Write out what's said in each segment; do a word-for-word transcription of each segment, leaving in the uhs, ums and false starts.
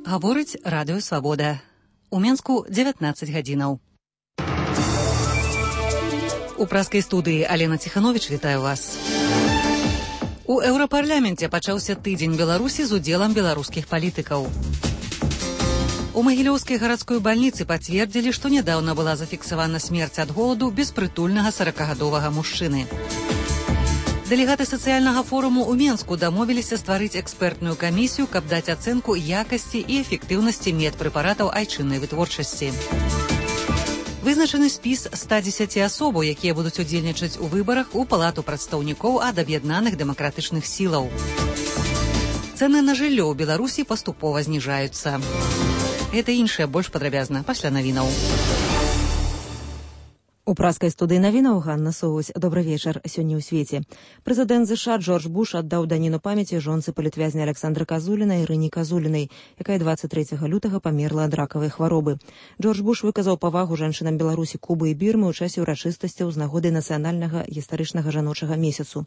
Гаворыць радыё Свабода. У Менску дзевятнаццаць гадзінаў. У праскай студыі Алена Ціхановіч вітаю вас. У Еўрапарляменце пачаўся тыдзень Беларусі з удзелам беларускіх палітыкаў. У Магілёўскай гарадской бальніцы пацвердзілі, што нядаўна была зафіксавана смерць ад голаду беспрытульнага саракагадовага мужчыны. Дэлегаты сацыяльнага форуму ў Менску дамовіліся стварыць экспертную камісію, каб даць ацэнку якасці і эфектыўнасці медпрэпаратаў айчыннай вытворчасці. Вызначаны спіс ста дзесяці асобаў, якія будуць удзельнічаць у выбарах у палату прадстаўнікоў ад аб'яднаных дэмакратычных сілаў. Цэны на жыллё ў Беларусі паступова зніжаюцца. Гэта іншае больш падрабязна пасля навінаў. У праскай студыі навінаў Ганна Соусь. Добры вечар. Сёння ў свеце. Прэзідэнт ЗША Джордж Буш аддаў даніну памяці жонцы палітвязня Александры Казуліна Ірыне Казулінай, якая дваццаць трэцяга лютага памерла ад ракавай хваробы. Джордж Буш выказаў павагу жанчынам Беларусі, Кубы і Бірмы ў часе ўрачыстасцяў з нагоды нацыянальнага гістарычнага жаночага месяцу.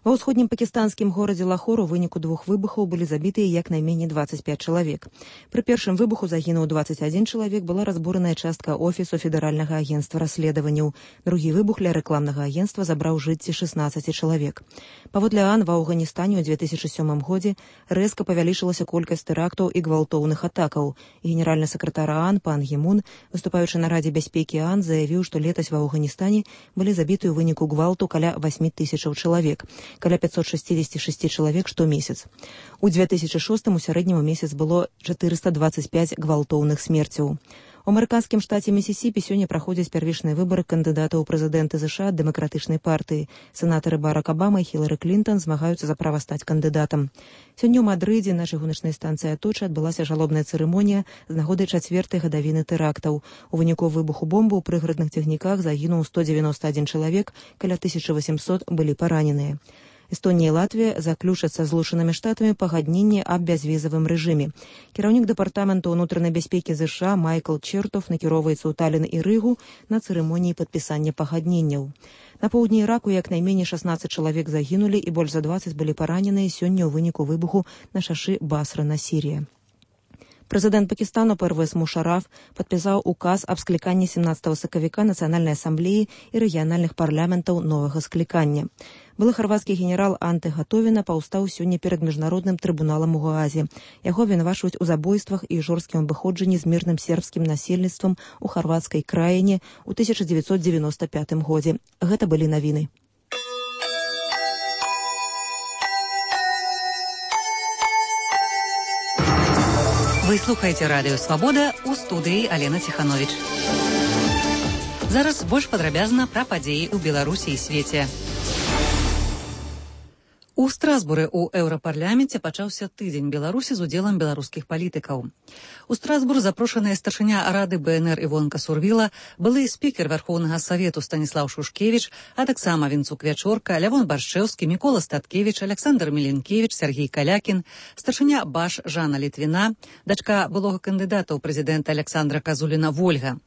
Ва ўсходнім пакістанскім горадзе Лахор у выніку двух выбухаў былі забітыя як найменей дваццаць пяць чалавек. Пры першым выбуху загінуў дваццаць адзін чалавек, была разбураная частка офісу федэральнага агенцтва расследаванняў. Другі выбух ля рэкламнага агенцтва забраў жыцці шаснаццаці чалавек. Паводле ААН ва Афганістане ў две тысячы сёмым годзе рэзка павялічылася колькасць тэрактаў і гвалтоўных атакаў. Генеральны сакратар ААН пан Гі Мун, выступаючы на Радзе бяспекі ААН, заявіў, што летась ва Афганістане былі забіты ў выніку гвалту каля васьмі тысячаў чалавек. Каля пятьсот шестьдесят шесть чалавек штомесяц. У две тысячы шостым у сярэднім у месяц было чатырыста дваццаць пяць гвалтоўных смерцяў. У амерыканскім штаце Місісіпі сёння праходзяць первічныя выбары кандыдатаў у прэзідэнты ЗША ад дэмакратычнай партыі. Сенатары Барак Абама і Хілары Клінтон змагаюцца за права стаць кандыдатам. Сёння ў Мадрыдзе на чыгуначнай станцыі Аточа адбылася жалобная цырымонія з нагоды чацвёртай гадавіны тэрактаў. У выніку выбуху бомбы ў прыградных цягніках загінуў сто дзевяноста адзін чалавек, каля тысяча васемсот былі параненыя. Эстонія і Латвія заключацца з Злучанымі Штатамі пагадненне аб бязвізавым рэжыме. Кіраўнік дэпартаменту ўнутранай бяспекі ЗША Майкл Чертов накіроўваецца ў Талін і Рыгу на цырымоніі падпісання пагадненняў. На поўдні Іраку як найменей шаснаццаць чалавек загінулі і больш за дваццаць былі параненыя сёння ў выніку выбуху на шашы Басра на Сірія. Прэзідэнт Пакістану Первез Мушараф падпісаў указ аб скліканні сямнаццатага сакавіка Нацыянальнай асамблеі і рэгіянальных парламентаў новага склікання. Былы харвацкі генерал Анте Гатовіна паўстаў сёння перад міжнародным трыбуналам у Гаазе. Яго абвінавачваюць у забойствах і жорсткім абыходжанні з мірным сербскім насельніцтвам у харвацкай краіне ў тысяча дзевяцьсот дзевяноста пятым годзе. Гэта былі навіны. Вы слухаеце радыё Свабода, у студыі Алена Ціхановіч. Зараз больш падрабязна пра падзеі ў Беларусі і свеце. У Страсбуры ў Еўрапарляменце пачаўся тыдзень Беларусі з удзелам беларускіх палітыкаў. У Страсбур запрошаная старшыня Рады БНР Івонка Сурвіла, былы спікер Вярхоўнага Савету Станіслаў Шушкевіч, а таксама Вінцук Вячорка, Лявон Баршчэўскі, Мікола Статкевіч, Александр Міленкевіч, Сергій Калякін, старшыня Баш Жанна Літвіна, дачка былога кандыдата ў прэзідэнта Александра Казуліна Вольга.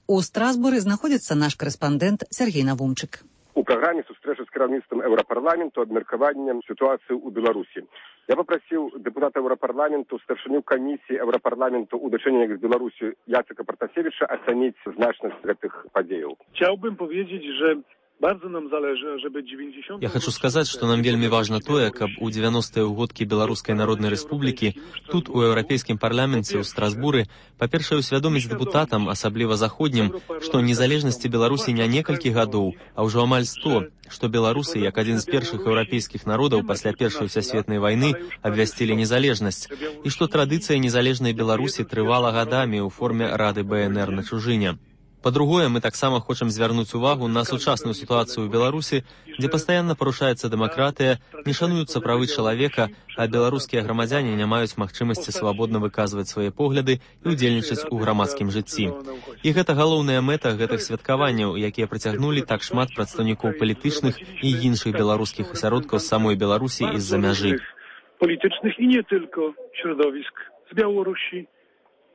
У Страсбуры знаходзіцца наш карэспандэнт Сергій Навумчык. У праграме сустрэчы з кіраўніцтвам Еўрапарламенту абмеркаваннем сітуацыі ў Беларусі. Я папрасіў дэпутата Еўрапарламенту, старшыню камісіі Еўрапарламенту ў дачыненнях з Беларусі Яцека Пратасевіча ацаніць значнасць гэтых падзеяў. Chciałbym powiedzieć, że bardzo nam zależy, żeby dziewięćdziesiąte... Я хочу сказаць, што нам вельмі важна тое, каб у дзевяностыя ўгодкі Беларускай Народнай Рэспублікі тут, у Еўрапейскім парламенце ў Страсбуры, па-першае, усвядоміць дэпутатам, асабліва заходнім, што незалежнасці Беларусі не некалькі гадоў, а ўжо амаль сто, што беларусы, як адзін з першых еўрапейскіх народаў пасля Першай сусветнай вайны, абвясцілі незалежнасць, і што традыцыя незалежнай Беларусі трывала гадамі ў форме Рады БНР на чужыне. Па-другое, мы таксама хочам звярнуць увагу на сучасную сітуацыю ў Беларусі, дзе пастаянна парушаецца дэмакратыя, не шануюцца правы чалавека, а беларускія грамадзяне не маюць магчымасці свабодна выказваць свае погляды і ўдзельнічаць у грамадскім жыцці. І гэта галоўная мэта гэтых святкаванняў, якія прыцягнулі так шмат прадстаўнікоў палітычных і іншых беларускіх асяродкаў з самой Беларусі і з-за мяжы. Politycznych i nie tylko środowisk z Białorusi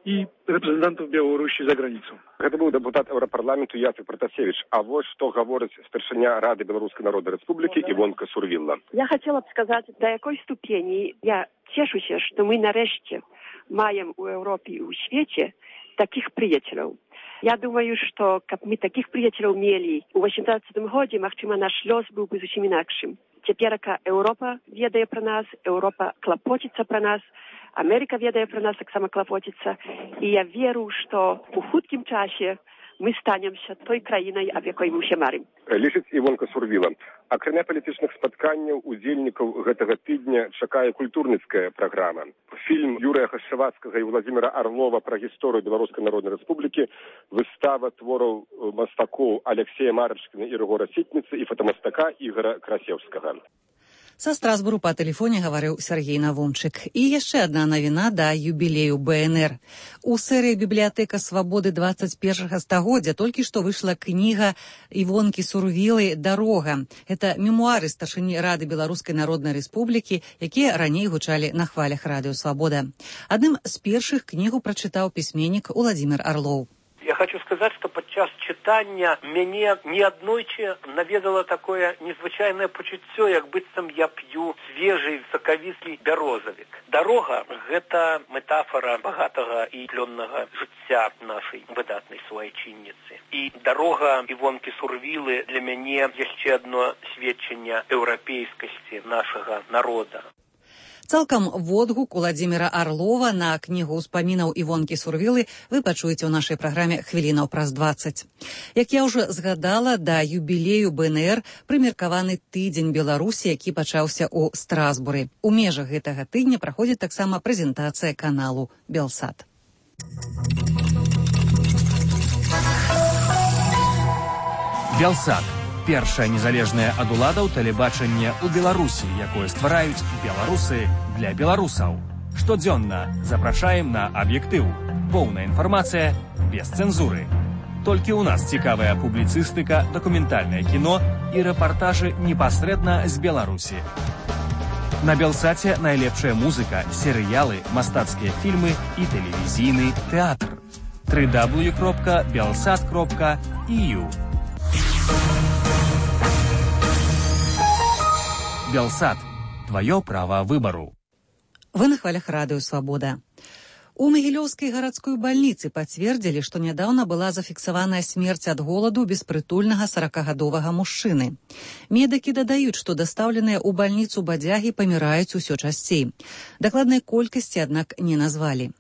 i reprezentantów Białorusi za granicą. Гэта быў дэпутат Еўрапарламенту Яцек Пратасевич. А вот што гаворыць старшыня Рады Беларускай Народнай Рэспублікі Івонка Сурвіла. Я хотела бы сказать, до якой ступени я цешуся, что мы нарэшце маем у Европе и у свете таких приятелей. Я думаю, что как мы таких приятелей имели у восемнадцатом году, махчима наш лёс был бы зовсім инакшим. Теперь Европа ведает про нас, Европа клопотится про нас, Америка ведает про нас, так само клопотится. И я верю, что в хутким часе мы станемся той краиной, об якой мы все марим. Лічыць Івонка Сурвіла. Акрамя палітычных спатканняў удзельнікаў гэтага тыдня чакае культурніцкая праграма. Фільм Юрыя Хашчавацкага і Владзіміра Арлова пра гісторыю Беларускай Народнай Рэспублікі, выстава твораў мастакоў Алексея Марачкіна і Рыгора Сітніцы і фотамастака Ігора Красеўскага. Са Страсбуру па тэлефоне гаварыў Сергей Навумчык. І яшчэ адна навіна да юбілею бэ эн эр. У серыі «Бібліятэка свабоды дваццаць першага стагоддзя» толькі што выйшла кніга Івонкі Сурвілы «Дарога». Гэта мемуары старшыні Рады Беларускай Народнай Рэспублікі, якія раней гучалі на хвалях радыё «Свабода». Адным з першых кнігу прачытаў пісьменнік Уладзімір Арлоў. Я хочу сказать, что подчас читання мяне неаднойчы наведало такое незвычайнае пачуццё, як быццам я п'ю свежий сакавіслы бярозавік. Дарога – гэта метафора багатага і плённага жыцця нашай выдатнай суайчынніцы. І дарога Івонкі Сурвілы для мяне яшчэ адно сведчанне еўрапейскасці нашага народа. Цалкам водгук Уладзіміра Арлова на кнігу ўспамінаў Івонкі Сурвілы вы пачуеце ў нашай праграме хвілінаў праз дваццаць. Як я ўжо згадала, да юбілею бэ эн эр прымеркаваны тыдзень Беларусі, які пачаўся ў Страсбуры. У межах гэтага тыдня праходзіць таксама прэзентацыя каналу «Белсат». «Белсат» – першае незалежнае ад уладаў тэлебачанне ў Беларусі, якое ствараюць беларусы для беларусаў. Штодзённа запрашаем на аб'ектыў. Поўная інфармацыя без цэнзуры. Толькі ў нас цікавая публіцыстыка, дакументальнае кіно і рэпартажы непасрэдна з Беларусі. На «Белсаце» найлепшая музыка, серыялы, мастацкія фільмы і тэлевізійны тэатр. дабл ю дабл ю дабл ю кропка белсат кропка і ю. «Белсат» – твое право выбору. Вы на хвалях радыё «Свабода». У Магілёўскай гарадской бальніцы пацвердзілі, што нядаўна была зафіксаваная смерць ад голаду беспрытульнага саракагадовага мужчыны. Медыкі дадаюць, што дастаўленыя ў бальніцу бадзягі паміраюць усё часцей. Дакладнай колькасці, аднак, не назвалі.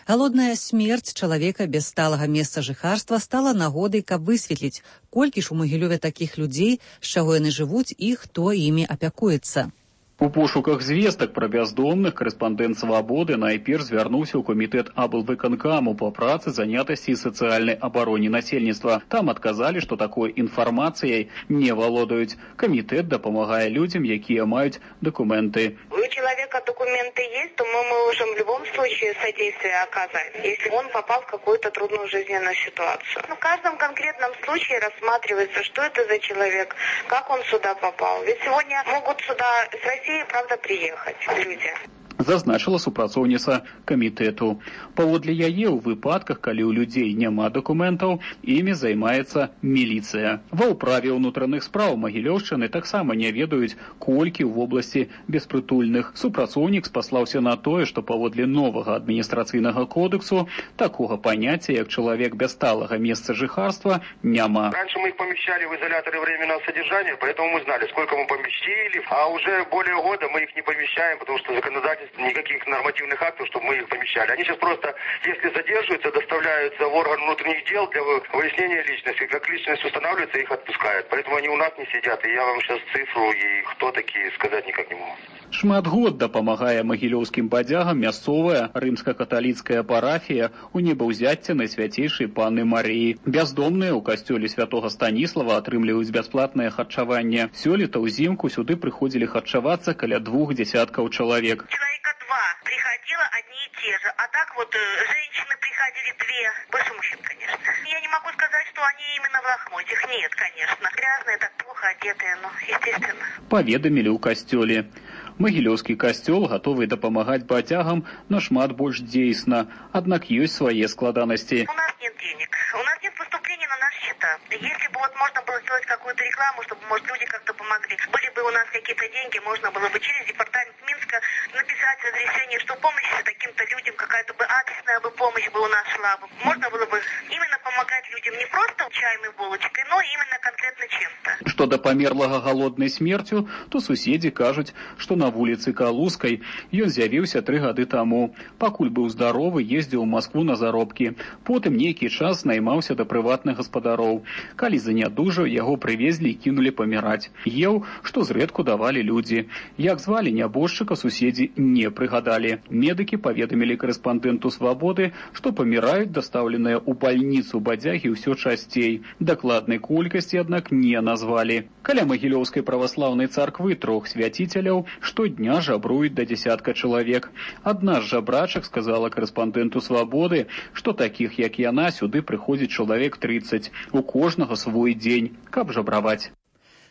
Галодная смерць чалавека без сталага месца жыхарства стала нагодай, каб высветліць, колькі ж у Магілёве такіх людзей, з чаго яны жывуць і хто імі апякуецца. У пошуках звестак пра бяздомных корэспандэнт «Свабоды» найперш звярнуўся ў камітэт аблвыканкаму па працы, занятасці і сацыяльнай абароне насельніцтва. Там адказалі, што такой інфармацыяй не валодаюць. Камітэт дапамагае людзям, якія маюць документы. У человека документы есть, то мы можем в любом случае содействие оказать, если он попал в какую-то трудную жизненную ситуацию. В каждом конкретном случае рассматривается, что это за человек, как он сюда попал. Ведь сегодня могут сюда с России правда приехать люди. Зазначыла супрацоўніца камітэту. Паводле яе, ў выпадках, калі ў людзей няма дакументаў, імі займаецца міліцыя. Ва ўправе ўнутраных спраў Магілёўшчыны таксама не ведаюць, колькі ў вобласці беспрытульных. Супрацоўнік спаслаўся на тое, што паводле новага адміністрацыйнага кодексу такога паняцця, як чалавек без сталага месца жыхарства, няма. Раньше мы их помещали в изоляторы временного содержания, поэтому мы знали, сколько мы поместили, а уже более года мы их не помещаем, потому что законодательство никаких нормативных актов, чтобы мы их помещали. Они сейчас просто, если задерживаются, доставляются в орган внутренних дел для выяснения личности. Как личность устанавливается, их отпускают. Поэтому они у нас не сидят. И я вам сейчас цифру и кто такие сказать никак не могу. Шмат год дапамагае магілёўскім бадзягам мясцовая рымска-каталіцкая парафія у небаўзяцце Найсвяцейшай Панны Марыі. Бяздомныя ў касцёле святога Станіслава атрымліваюць бясплатнае харчаванне. Сёлета ўзімку сюды прыходзілі харчавацца каля двух десяткаў чалавек. Человека два приходило одни и те же, а так вот женщины приходили две, больше мужчин, конечно. Я не могу сказать, что они именно в лохмотьях, нет, конечно. Грязные, так плохо одетые, но естественно. Паведамілі ў касцёле. Магілёўскі касцёл гатовы дапамагаць бадзягам нашмат больш дзейсна, аднак ёсць свае складанасці. У нас нет денег, у нас нет поступления на наши счета. Если бы вот можно было сделать какую-то рекламу, чтобы, может, люди как-то помогли, были бы у нас какие-то деньги, можно было бы через департамент Минска написать разрешение, что помощь таким-то людям, какая-то бы адресная бы помощь бы у нас шла бы. Можно было бы именно помогать людям не просто чаем и булочкой, но именно конкретно чем-то. Што да памерлага галоднай смерцю, то суседзі кажуць, што на вуліцы Калускай ён з'явіўся тры гады таму. Пакуль быў здаровы, ездзіў у Маскву на заробкі. Потым нейкі час наймаўся да прыватных гаспадароў. Калі занядужаў, яго прывезлі і кінулі паміраць. Еў, што зрэдку давалі людзі. Як звалі нябожчыка, суседзі не прыгадалі. Медыкі паведамілі корэспандэнту «Свабоды», што паміраюць дастаўленыя ў бальніцу бадзягі ўсё часцей. Дакладнай колькасці, аднак, не назвалі. Каля Магілёўскай праваслаўнай царквы трох свяціцеляў штодня жабруюць да дзясятка чалавек. Адна з жабрачак сказала корэспандэнту «Свабоды», што такіх, як яна, сюды прыходзіць чалавек трыццаць. У кожнага свой дзень, каб жабраваць.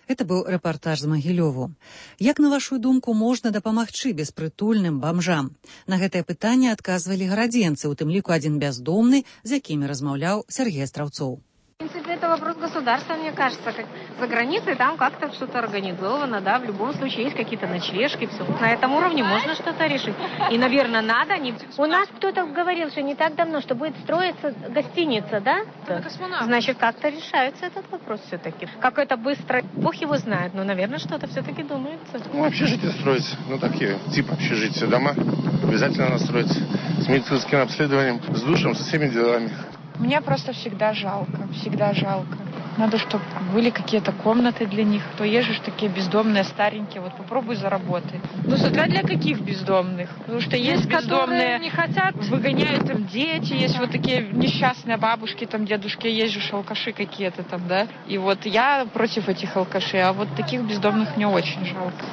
Это быў рэпартаж з Магілёву. Як, на вашу думку, можна дапамагчы беспрытульным бамжам? На гэтае пытанне адказвалі гарадзенцы, у тым ліку адзін бяздомны, з якімі размаўляў Сергей Астраўцоў. В принципе, это вопрос государства, мне кажется. Как за границей там как-то что-то организовано, да, в любом случае есть какие-то ночлежки, все. На этом уровне можно что-то решить. И, наверное, надо. Не... У нас кто-то говорил, что не так давно, что будет строиться гостиница, да? Да. Значит, как-то решается этот вопрос все-таки. Как это быстро, бог его знает, но, наверное, что-то все-таки думается. Ну, общежитие строить, ну, такие, типа общежития, дома. Обязательно надо строить с медицинским обследованием, с душем, со всеми делами. Мне просто всегда жалко, всегда жалко. Надо, чтобы были какие-то комнаты для них. То есть же такие бездомные, старенькие. Вот попробуй заработать. Ну, смотря для каких бездомных. Потому что есть, есть бездомные, не хотят, выгоняют там дети. Есть вот такие несчастные бабушки, там дедушки. Есть же алкаши какие-то там, да. И вот я против этих алкашей. А вот таких бездомных мне очень жалко.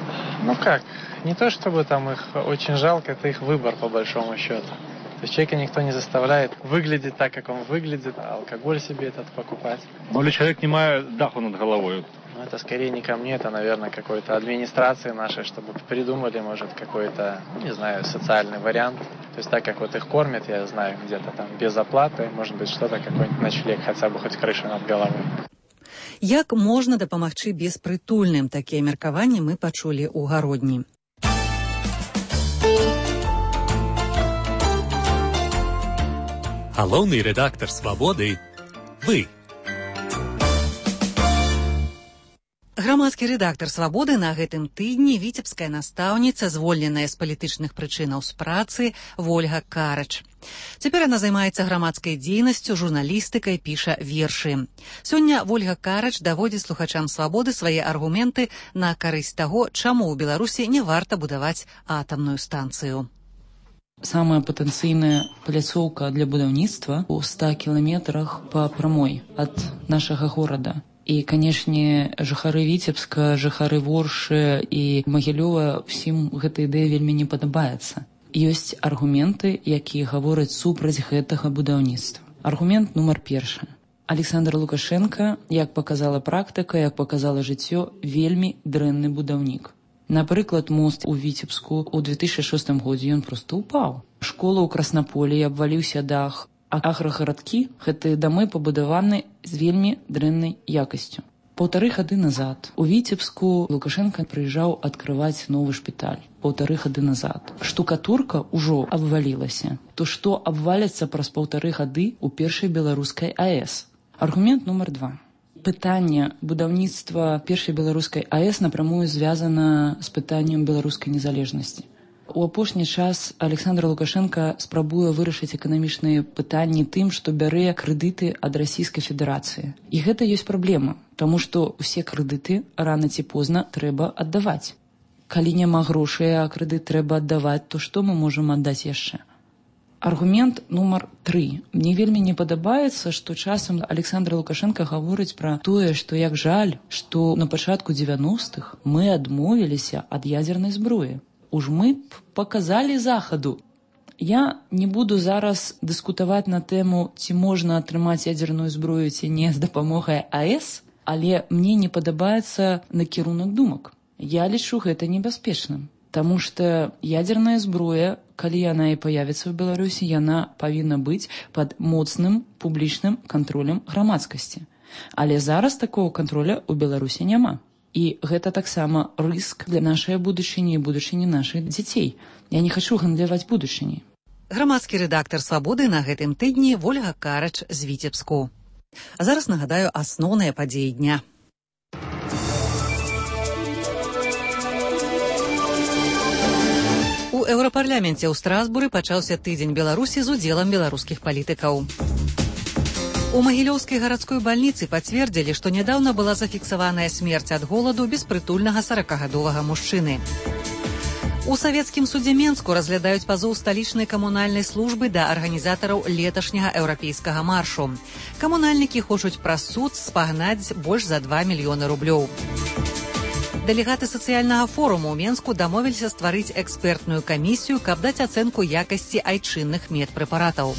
Ну как? Не то, чтобы там их очень жалко, это их выбор, по большому счету. То есть человека никто не заставляет выглядеть так, как он выглядит, а алкоголь себе этот покупать. Ну или человек не имеет даху над головой. Ну это скорее не ко мне, это, наверное, какой-то администрации нашей, чтобы придумали, может, какой-то, не знаю, социальный вариант. То есть так, как вот их кормят, я знаю, где-то там без оплаты, может быть, что-то, какой-нибудь ночлег, хотя бы хоть крыша над головой. Як можна дапамагчы беспрытульным? Такія меркаванні мы пачулі ў гародні. Галоўны рэдактар «Свабоды» – вы. Грамадскі рэдактар «Свабоды» на гэтым тыдні віцебская настаўніца, звольненая з палітычных прычынаў з працы, Вольга Карач. Цяпер яна займаецца грамадскай дзейнасцю, журналістыкай, піша вершы. Сёння Вольга Карач даводзіць слухачам «Свабоды» свае аргументы на карысць таго, чаму ў Беларусі не варта будаваць атамную станцыю. Самая патэнцыйная пляцоўка для будаўніцтва ў ста кіламетрах па прамой ад нашага горада. І, канешне, жыхары Віцебска, жыхары Воршы і Магілёва, усім гэта ідэя вельмі не падабаецца. Ёсць аргументы, якія гавораць супраць гэтага будаўніцтва. Аргумент нумар першы. Александр Лукашенко, як показала практыка, як показала жыццё, вельмі дрэнны будаўнік. Напрыклад, мост у Віцебску ў две тысячы шостым годзе ён проста ўпаў. Школа ў Краснаполі, абваліўся дах, а аграгарадкі гэтыя дамы пабудаваны з вельмі дрэннай якасцю. Паўтары гады назад у Віцебску Лукашенко прыязджаў адкрываць новы шпіталь. Паўтары гады назад. Штукатурка ўжо абвалілася. То што абваляцца праз паўтары гады ў першай беларускай АЭС? Аргумент нумар два. Пытанне будаўніцтва першай беларускай АЭС напрамую звязана з пытаннем беларускай незалежнасці. У апошні час Александр Лукашенко спрабуе вырашыць эканамічныя пытанні тым, што бярэ крэдыты ад Расійскай Федэрацыі. І гэта ёсць праблема, таму што ўсе крэдыты рана ці позна трэба аддаваць. Калі няма грошай, а крэдыт трэба аддаваць, то што мы можам аддаць яшчэ? Аргумент нумар тры. Мне вельмі не падабаецца, што часам Александр Лукашенко гаворыць пра тое, што як жаль, што на пачатку дзевяностых мы адмовіліся ад ядзернай зброі. Уж мы б паказалі захаду. Я не буду зараз дыскутаваць на тэму, ці можна атрымаць ядзерную зброю, ці не з дапамогай АЭС, але мне не падабаецца накірунак думак. Я лічу гэта небяспечным. Таму што ядзерная зброя калі яна і паявіцца ў Беларусі, яна павінна быць пад моцным публічным кантролем грамадскасці. Але зараз такого контроля ў Беларусі няма. І гэта таксама рыск для нашай будучыні і будучыні нашых дзяцей. Я не хачу гандляваць будучыняй. Грамадскі рэдактар «Свабоды» на гэтым тыдні Вольга Карач з Віцебску. А зараз нагадаю асноўныя падзеі дня. У Еўрапарляменце ў Страсбуры пачаўся тыдзень Беларусі з удзелам беларускіх палітыкаў. У Магілёўскай гарадской бальніцы пацвердзілі, што нядаўна была зафіксаваная смерць ад голаду беспрытульнага саракагадовага мужчыны. У савецкім судзе Менску разглядаюць пазоў сталічнай камунальнай службы да арганізатараў леташняга еўрапейскага маршу. Камунальнікі хочуць праз суд спагнаць больш за два мільёны рублёў. Дэлегаты сацыяльнага форуму ў Менску дамовіліся стварыць экспертную камісію, каб даць ацэнку якасці айчынных медпрэпаратаў.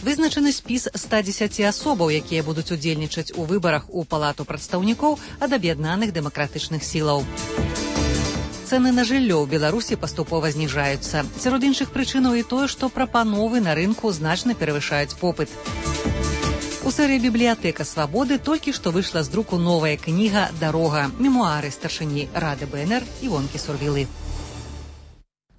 Вызначаны спіс ста дзесяці асобаў, якія будуць удзельнічаць у выбарах у Палату прадстаўнікоў ад аб'яднаных дэмакратычных сілаў. Цэны на жыллё ў Беларусі паступова зніжаюцца. Сярод іншых прычынаў і тое, што прапановы на рынку значна перавышаюць попыт. У серыі «Бібліятэка Свабоды» толькі што выйшла з друку новая кніга «Дарога» – мемуары старшыні Рады БНР Івонкі Сурвілы.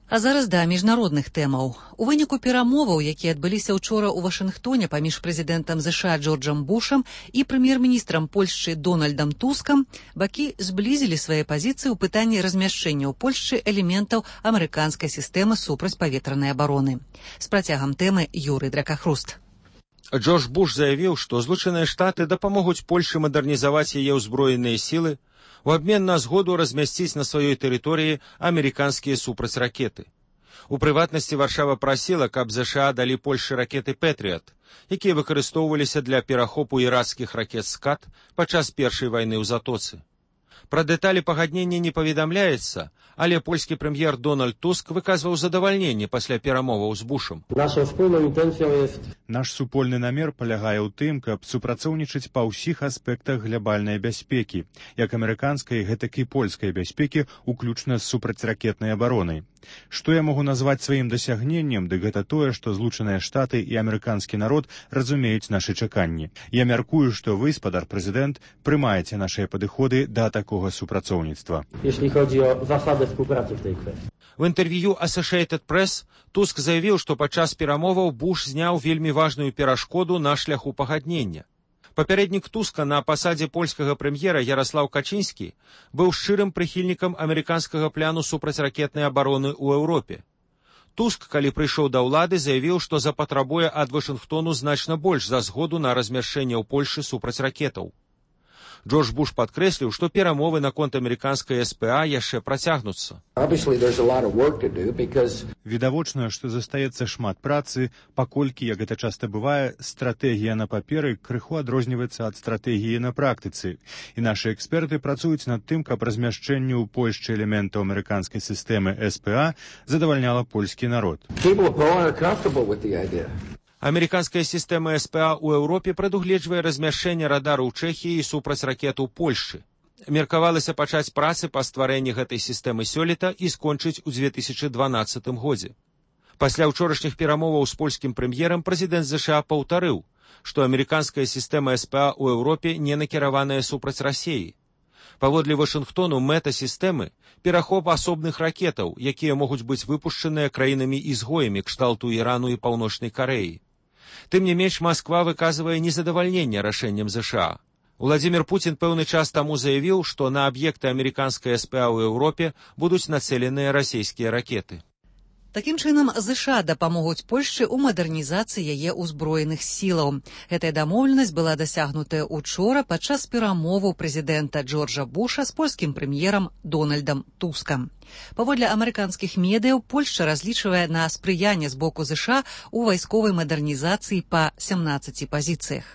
А зараз да міжнародных тэмаў. У выніку перамоваў, якія адбыліся ўчора ў Вашынгтоне паміж прэзідэнтам ЗША Джорджам Бушам і прэм'ер-міністрам Польшчы Дональдам Тускам, бакі зблізілі свае пазіцыі ў пытанні размяшчэння ў Польшчы элементаў амерыканскай сістэмы супрацьпаветранай абароны. З працягам тэмы Юрый Дракахруст. Джордж Буш заявіў, што Злучаныя Штаты дапамогуць Польшы мадэрнізаваць яе ўзброеныя сілы у абмен на згоду размясціць на сваёй тэрыторыі амерыканскія супрацьракеты. У прыватнасці Варшава прасіла, каб ЗША далі Польшы ракеты «Пэтрыят», якія выкарыстоўваліся для перахопу ірацкіх ракет «Скат» падчас першай вайны ў Затоцы. Пра дэталі пагаднення не паведамляецца, але польскі прэм'ер Дональд Туск выказваў задавальненне пасля перамоваў з Бушам. Наш супольны намер палягае ў тым, каб супрацоўнічаць па ўсіх аспектах глябальнай бяспекі, як амерыканскай, гэтак і польскай бяспекі, уключна з супрацьракетнай абаронай. Што я могу назваць сваім дасягненнем, дык гэта тое, што Злучаныя Штаты і амерыканскі народ разумеюць нашы чаканні. Я мяркую, што вы, спадар прэзідэнт, прымаеце нашыя падыходы да такога супрацоўніцтва. В інтэрв'ю Associated Press Туск заявіў, што падчас перамоваў Буш зняў вельмі важную перашкоду на шляху пагаднення. Папярэднік Туска на пасадзе польскага прэм'ера Яраслаў Качынскі быў шчырым прыхільнікам амерыканскага пляну супрацьракетнай абароны ў Еўропе. Туск, калі прыйшоў да ўлады, заявіў, што запатрабуе ад Вашынгтону значна больш за згоду на размяшчэнне ў Польшы супрацьракетаў. Джордж Буш падкрэсліў, што перамовы наконт амерыканскай СПА яшчэ працягнуцца. Відавочна, што застаецца шмат працы, паколькі, як гэта часта бывае, стратэгія на паперы крыху адрозніваецца ад стратэгіі на практыцы. І нашы эксперты працуюць над тым, каб размяшчэнне ў Польшчы элементаў амерыканскай сістэмы СПА задавальняла польскі народ. Амерыканская сістэма СПА ў Еўропе прадугледжвае размяшчэнне радару ў Чэхіі і супрацьракет у Польшчы. Меркавалася пачаць працы па стварэнні гэтай сістэмы сёлета і скончыць у дзве тысячы дванаццатым годзе. Пасля ўчорашніх перамоваў з польскім прэм'ерам прэзідэнт ЗША паўтарыў, што амерыканская сістэма СПА ў Еўропе не накіраваная супраць Расіі. Паводле Вашынгтону мэта сістэмы – перахоп асобных ракетаў, якія могуць быць выпушчаныя краінамі-ізгоямі кшталту Ірану і Паўночнай Карэі. Тым не менш, Масква выказвае незадавальненне рашэннем ЗША. Владзімір Пуцін пэўны час таму заявіў, што на аб'екты амерыканскай СПА ў Еўропе будуць нацэленыя расійскія ракеты. Такім чынам, ЗША дапамогуць Польшчы ў мадэрнізацыі яе ўзброеных сілаў. Гэтая дамоўленасць была дасягнутая учора падчас перамоваў прэзідэнта Джорджа Буша з польскім прэм'ерам Дональдам Тускам. Паводле амерыканскіх медыяў, Польшча разлічвае на спрыянне з боку ЗША ў вайсковай мадэрнізацыі па сямнаццаці пазіцыях.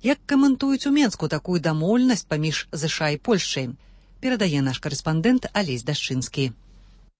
Як каментуюць у Менску такую дамоўленасць паміж ЗША і Польшчай? Перадае наш карэспандэнт Алесь Дашчынскі.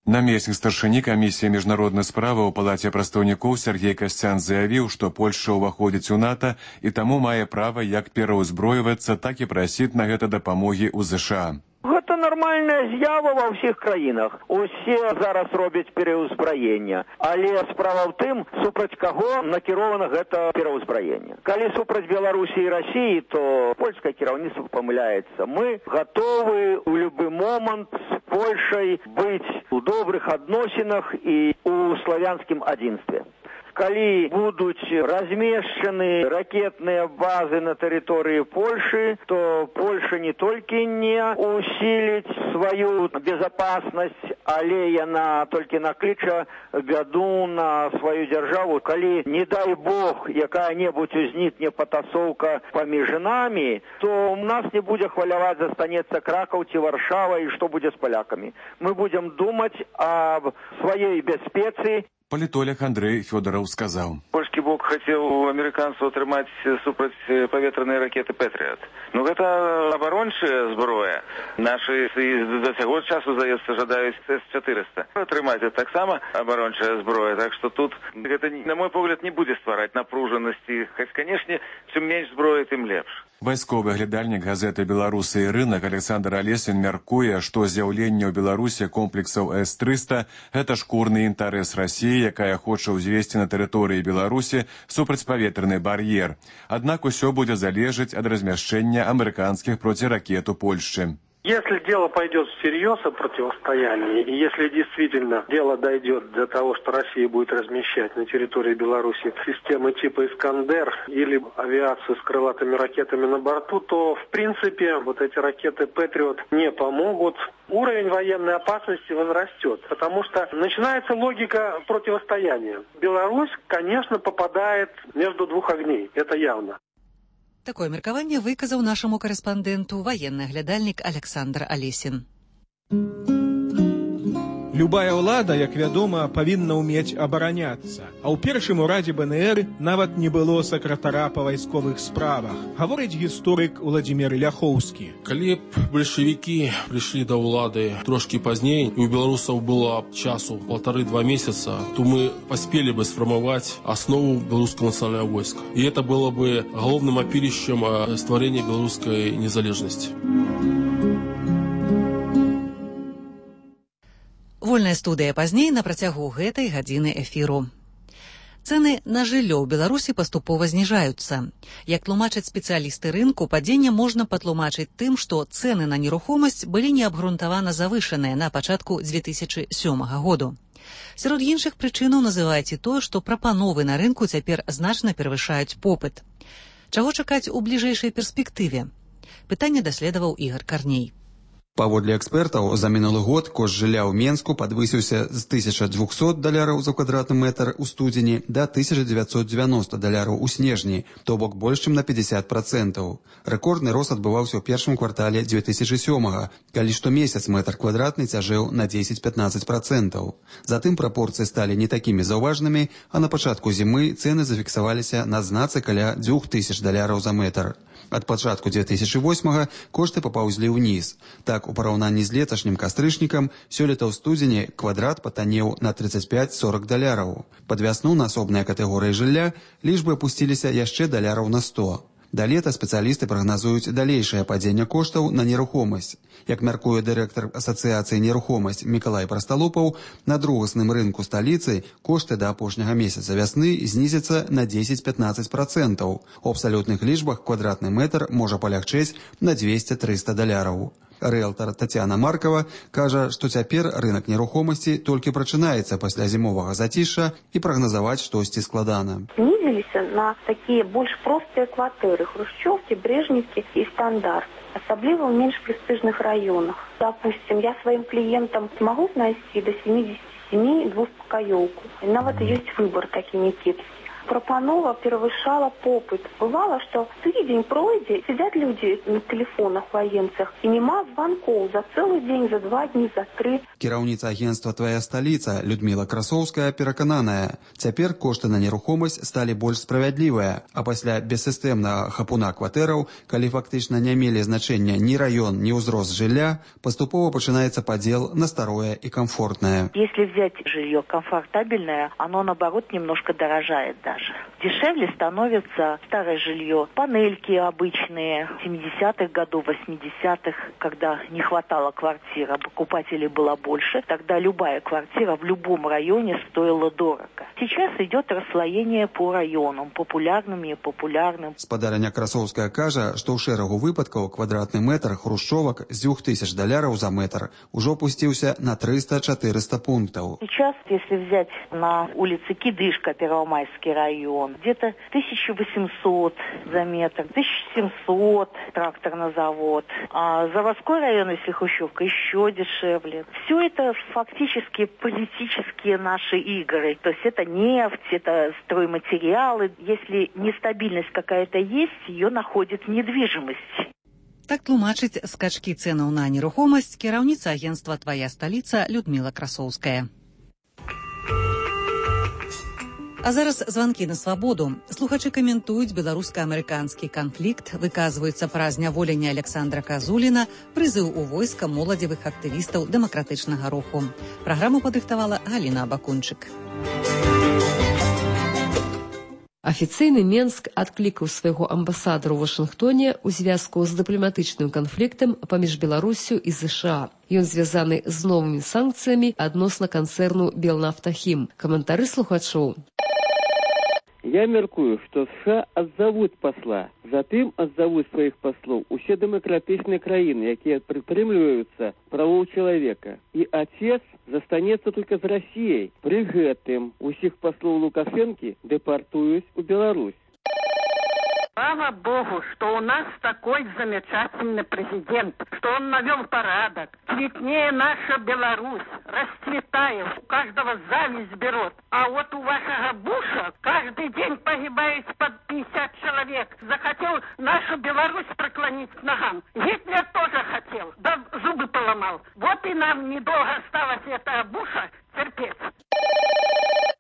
Намеснік старшыні камісіі міжнароднай справы ў палаце прадстаўнікоў Сергей Касцян заявіў, што Польшча ўваходзіць у НАТО і таму мае права як пераўзброівацца, так і прасіць на гэта дапамогі ў ЗША. Гэта нармальная з'ява ва ўсіх краінах. Усе зараз робяць пераўзбраенне. Але справа ў тым, супраць каго накірована гэта пераўзбраенне. Калі супраць Беларусі і Расіі, то польскае кіраўніцтва памыляецца. Мы гатовы ў любы момант з Польшай быць у добрых адносінах і ў славянскім адзінстве. Калі будуць размешчаны ракетныя базы на тэрыторыі Польшы, то Польша не толькі не усіліць сваю безопасность, але яна толькі накліча бяду на сваю дзяржаву. Калі, не дай Бог, якая-небудзь узнікне патасоўка паміж намі, то у нас не будзе хваляваць, застанецца Кракаў ці Варшава, і што будзе з палякамі. Мы будзем думаць аб сваёй бяспецы. Палітолог Андрей Фёдоров сказаў. Польскі бок хацеў у амерыканцаў атрымаць супрацьпаветраныя ракеты «Пэтрыят». Ну, гэта абарончая зброя. Нашы да цяго часу, здаецца, жадаюць эс чатырыста. Атрымаць гэта таксама абарончая зброя. Так што тут гэта, на мой погляд, не будзе ствараць напружанасці. Хоць, канешне, чым менш зброі, тым лепш. Вайсковы глядальнік газеты «Беларусы і рынак» Александр Алесін мяркуе, што з'яўленне ў Беларусі комплексаў эс трыста – гэта шкурны інтарэс Расіі, якая хоча ўзвесці на тэрыторыі Беларусі супрацьпаветраны бар'ер. Аднак усё будзе залежаць ад размяшчэння амерыканскіх проціракет у Польшчы. Если дело пойдет всерьез о противостоянии, и если действительно дело дойдет до того, что Россия будет размещать на территории Беларуси системы типа «Искандер» или авиацию с крылатыми ракетами на борту, то, в принципе, вот эти ракеты «Патриот» не помогут. Уровень военной опасности возрастет, потому что начинается логика противостояния. Беларусь, конечно, попадает между двух огней, это явно. Такое меркаванне выказаў нашаму карэспандэнту ваенны глядальнік Александр Алесін. Любая ўлада, як вядома, павінна ўмець абараняцца. А ў першым урадзе бэ эн эр нават не было сакратара па вайсковых справах, гаворыць гісторык Уладзімір Ляхоўскі. Калі б бальшавікі прыйшлі да ўлады трошкі пазней, і ў беларусаў было часу полторы-два месяца, то мы паспелі бы сфармаваць аснову беларускага нацыянальнага войска. І это было бы галоўным апірышчам стварэння беларускай незалежнасці. Вольная студыя пазней на працягу гэтай гадзіны эфіру. Цэны на жыллё ў Беларусі паступова зніжаюцца. Як тлумачаць спецыялісты рынку, падзенне можна патлумачыць тым, што цэны на нерухомасць былі неабгрунтавана завышаныя на пачатку дзве тысячы сёмага году. Сярод іншых прычынаў называюць і тое, што прапановы на рынку цяпер значна перавышаюць попыт. Чаго чакаць у бліжэйшай перспектыве? Пытанне даследаваў Ігар Карней. Паводле экспертаў, за мінулы год кошт жылля ў Менску падвысіўся з тысяча дзвюсот даляраў за квадратны метр у студзені да тысяча дзевяцьсот дзевяноста даляраў у снежні, то бок больш чым на пятьдесят процентаў. Рэкордны рост адбываўся ў першым квартале дзве тысячы сёмага, калі штомесяц метр квадратны цяжэў на дзесяць-пятнаццаць процентаў. Затым прапорцыі сталі не такімі заўважнымі, а на пачатку зімы цэны зафіксаваліся на знацы каля дзвюх тысяч даляраў за метр. Ад пачатку дзве тысячы восьмага кошты папаўзлі ўніз. Так, у параўнанні з леташнім кастрычнікам, сёлета ў студзені квадрат патанеў на тридцать пять-сорок даляраў. Пад вясну на асобныя катэгорыі жылля лічбы апусціліся яшчэ даляраў на сто. Да лета спецыялісты прагназуюць далейшае падзенне коштаў на нерухомасць. Як мяркуе дырэктар асацыяцыі нерухомасць Мікалай Прасталупаў, на другасным рынку сталіцы кошты да апошняга месяца вясны знізяцца на дзесяць-пятнаццаць процентаў. У абсалютных лічбах квадратны метр можа палягчэць на двесце-трыста даляраў. Рыэлтар Тацяна Маркава кажа, што цяпер рынак нерухомасці толькі прачынаецца пасля зімовага зацішша і прагназаваць штосьці складана. Знізіліся на такія больш простыя кватэры Хрушчоўкі, Брежневкі і Стандарт, асабліва ў менш прэстыжных раёнах. Допустим, я сваім кліентам магу знайсці да семидесяти семи двухпакаёўку. Нават ёсць выбор такі некепскі. Пропанова перавышала попыт. Бывало, что тыдзень пройдзе, сидят люди на телефонах военцах, и нема звонков за целый день, за два дні, за три. Кіраўніца агентства «Твоя сталіца» Людмила Красоўская перакананая, цяпер кошты на нерухомасць сталі больш справядлівыя, а пасля бессістэмнага хапуна кватэраў, калі фактычна не мелі значэння ні раён, ні ўзрост жылля, паступова пачынаецца падзел на старое и комфортное. Если взять жилье комфортабельное, оно наоборот немножко дорожает даже. продажи. Дешевле становится старое жилье, панельки обычные семидесятых годов, восьмидесятых, когда не хватало квартир, а покупателей было больше, тогда любая квартира в любом районе стоила дорого. Сейчас идет расслоение по районам, популярным и популярным. Спадарня Красовская кажа, што ў шэрагу выпадкаў квадратны метр хрушчовак з дзвюх тысяч даляраў за метр ужо опусціўся на триста-четыреста пунктаў. Сейчас, если взять на улице Кидышка, Первомайский район, где-то тысяча восемьсот за метр, тысяча семьсот тракторный завод. А заводской район, если Хрущевка, еще дешевле. Все это фактически политические наши игры. То есть это нефть, это стройматериалы. Если нестабильность какая-то есть, ее находит недвижимость. Так тлумачыць скачкі цэнаў на нерухомасць кіраўніца агентства «Твоя сталіца» Людмила Красоўская. А зараз званкі на свабоду. Слухачы каментуюць беларуска-амерыканскі канфлікт, выказваюцца пра зняволенне Александра Казуліна, прызыў у войска моладзевых актывістаў дэмакратычнага руху. Праграму падрыхтавала Галіна Абакунчык. Афіцыйны Менск адклікаў свайго амбасадара ў Вашынгтоне ў звязку з дыпламатычным канфліктам паміж Беларусю і ЗША. Ён звязаны з новымі санкцыямі адносна канцэрну «Белнафтахім». Каментары слухачоў. Я мяркую, што США адзавуць пасла. Затым адзавуць сваіх паслоў усе дэмакратычныя краіны, якія прытрымліваюцца правоў чалавека. І отец застанецца толькі з Расіяй. Пры гэтым усіх паслоў Лукашэнкі дэпартуюць у Беларусь. Слава Богу, что у нас такой замечательный президент, что он навел порядок. Цветнее наша Беларусь, расцветает, у каждого зависть берет. А вот у вашего Буша каждый день погибает под пятьдесят человек. Захотел нашу Беларусь преклонить к ногам. Гитлер тоже хотел, да зубы поломал. Вот и нам недолго осталось этого Буша терпеть.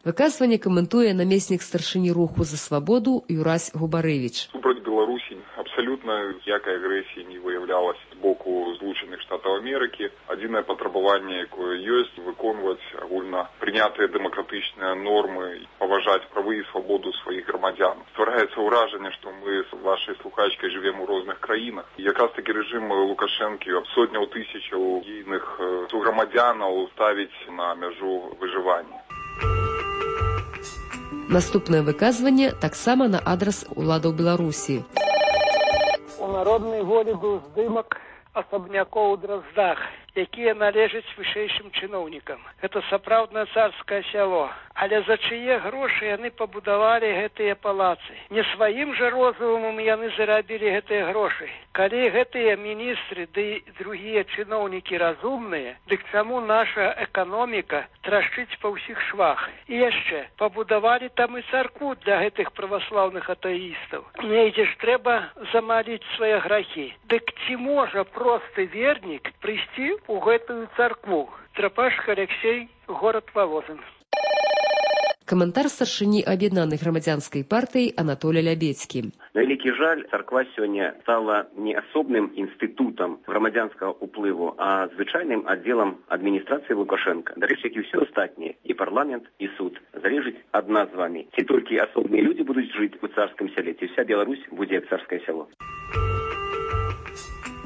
Выказванне каментуе намеснік старшыні руху за свабоду Юрась Губарэвіч. Супраць Беларусі абсалютна ніякай агрэсіі не выяўлялася з боку Злучаных Штатаў Амерыкі. Адзінае патрабаванне, якое ёсць, выконваць агульна прынятыя дэмакратычныя нормы, паважаць правы і свабоду сваіх грамадзян. Ствараецца ўражанне, што мы з вашай слухачкай жывем у розных краінах. І якраз такі рэжым Лукашэнкі сотняў тысячаў ейных сugрамадзянаў ставіць на мяжу выжывання. Наступнае выказванне таксама на адрас уладаў Беларусі. У народнай волі быў здымак асабнякоў у Драздах, якія належаць вышэйшым чыноўнікам. Гэта сапраўднае царскае сяло. Але за чые грошы яны пабудавалі гэтыя палацы? Не сваім жа розумам яны зарабілі гэтыя грошы. Калі гэтыя міністры ды другія чыноўнікі разумныя, дык чаму наша эканоміка трашчыць па ўсіх швах? І яшчэ, пабудавалі там і царкву для гэтых праваслаўных атэістаў. Недзе ж трэба замаліць свае грахі. Дык ці можа просты вернік прыйсці у гэтую царкву? Трапашка Алексей, город Волозин. Каментар старшыні аб'яднанай грамадзянскай партыі Анатолий Лябецкі. На вялікі жаль, царква сёння стала не асобным інстытутам грамадзянскага ўплыву, а звычайным аддзелам адміністрацыі Лукашенка. Дарэчы, як і ўсё астатняе, і парламент, і суд, залежыць ад нас з вамі. Ці толькі асобныя людзі будуць жыць у царскім сяле, ці вся Беларусь будзе як царскае сяло.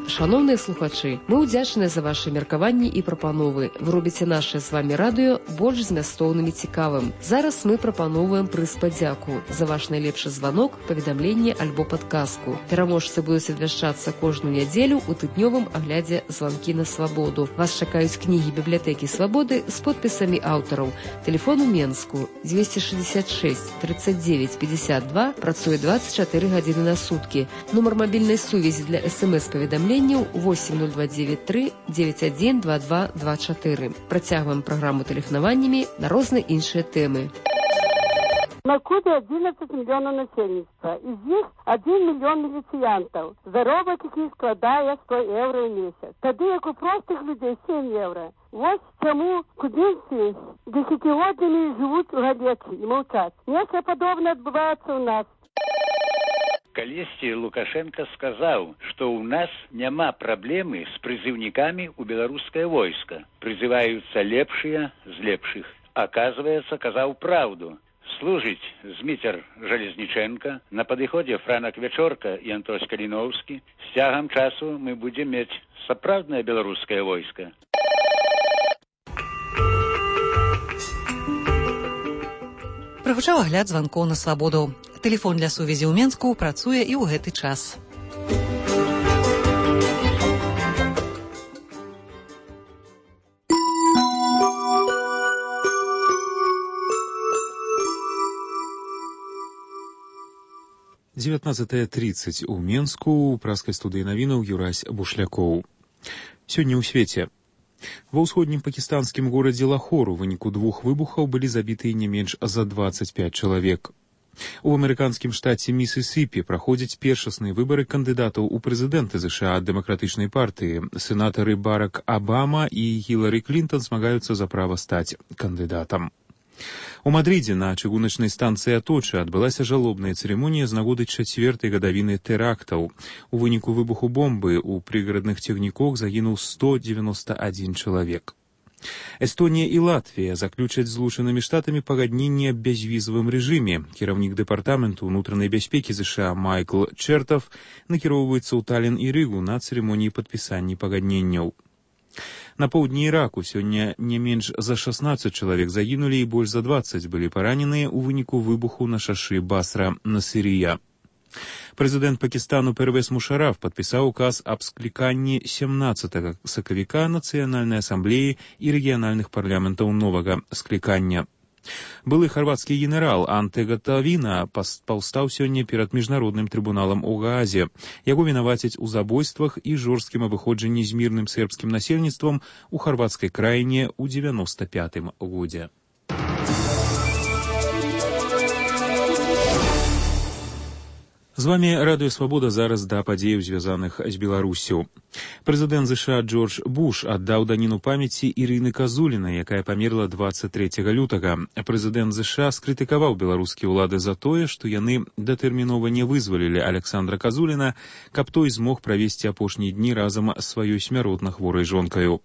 Шановныя слухачы, мы ўдзячныя за ваши меркаванні і прапановы. Вы робіце наше з вами радыё больш змястоўным і цікавым. Зараз мы прапановваем прыз падзяку за ваш найлепшы званок, паведамленне альбо падказку. Пераможцы будуць абвяшчацца кожную нядзелю ў тыднёвым аглядзе званкі на свабоду. Вас чакаюць кнігі бібліятэкі свабоды з подпісамі аўтараў. Тэлефон у Менску двести шестьдесят шесть тридцать девять пятьдесят два, працуе двадцать четыре гадзіны на суткі. Нумар мабільнай сувязі для эс-эм-эс-паведамлення восемь ноль два девять три девять один два два два четыре. Працягваем праграму тэлефанаваннямі на розныя іншыя тэмы. На Кубе одиннадцать миллионов насельніцтва. Из них один миллион міліцыянтаў. Заробак якіх складае сто евро в месяц. Тады як у простых людей семь евро. Вот чему кубинцы десятилетиями живут в Галеции и молчат. Нечто подобное отбывается у нас. Калісьці Лукашенко сказаў, што ў нас няма праблемы з прызыўнікамі ў беларускае войска. Прызываюцца лепшыя з лепшых. Аказваецца, казаў праўду. служыць Зміцер Жалезніченка, на падыходзе Франак Вячорка і Антось Каліноўскі. З цягам часу мы будзем мець сапраўднае беларускае войска. Прагучаў агляд званкоў на свабоду. Тэлефон для сувязі ў Менску працуе і ў гэты час. дзевятнадцатая тридцать у Менску, у праскай студыі навінаў Юрась Бушлякоў. Сёння ў свеце. Ва ўсходнім пакістанскім горадзе Лахор у выніку двух выбухаў былі забітыя не менш за двадцать пять чалавек. У амерыканскім штаце Місісіпі праходзяць першасныя выбары кандыдатаў у прэзідэнты ЗША ад дэмакратычнай партыі. Сенатары Барак Абама і Хілары Клінтон змагаюцца за права стаць кандыдатам. У Мадридзе на чыгуначнай станцыі Аточа адбылася жалобная цырымонія з нагоды чацвёртай гадавіны тэрактаў. У выніку выбуху бомбы ў прыгарадных цягніках загінуў сто девяносто один чалавек. Эстонія і Латвія заключаць з Злучанымі Штатамі пагадненне аб бязвізавым рэжыме. Кіраўнік дэпартаменту ўнутранай бяспекі ЗША Майкл Чэртав накіроўваецца ў Талін і Рыгу на цырымоніі падпісання пагадненняў. На поўдні Іраку сёння не менш за шестнадцать чалавек загінулі і больш за двадцать былі параненыя ў выніку выбуху на шашы Басра-Насырыя. Прэзідэнт Пакістану Первез Мушараф падпісаў указ аб скліканні семнадцатага сакавіка Нацыянальнай асамблеі і рэгіянальных парламентаў новага склікання. Былы харвацкі генерал Анте Гатавіна паўстаў сёння перад міжнародным трыбуналам у Гаазе. Яго вінавацяць у забойствах і жорсткім абыходжанні з мірным сербскім насельніцтвам у харвацкай краіне ў девяносто пятым годзе. З вами Радыё Свабода, зараз да падзеяў, звязаных з Беларусю. Прэзідэнт ЗША Джордж Буш аддаў даніну памяці Ірыны Казуліна, якая памерла двадцать трэцяга лютага. Прэзідэнт ЗША скрытыкаваў беларускія ўлады за тое, што яны датэрмінова не вызвалілі Александра Казуліна, каб той змог правесці апошнія дні разам з сваёй смяротна хворай жонкаю.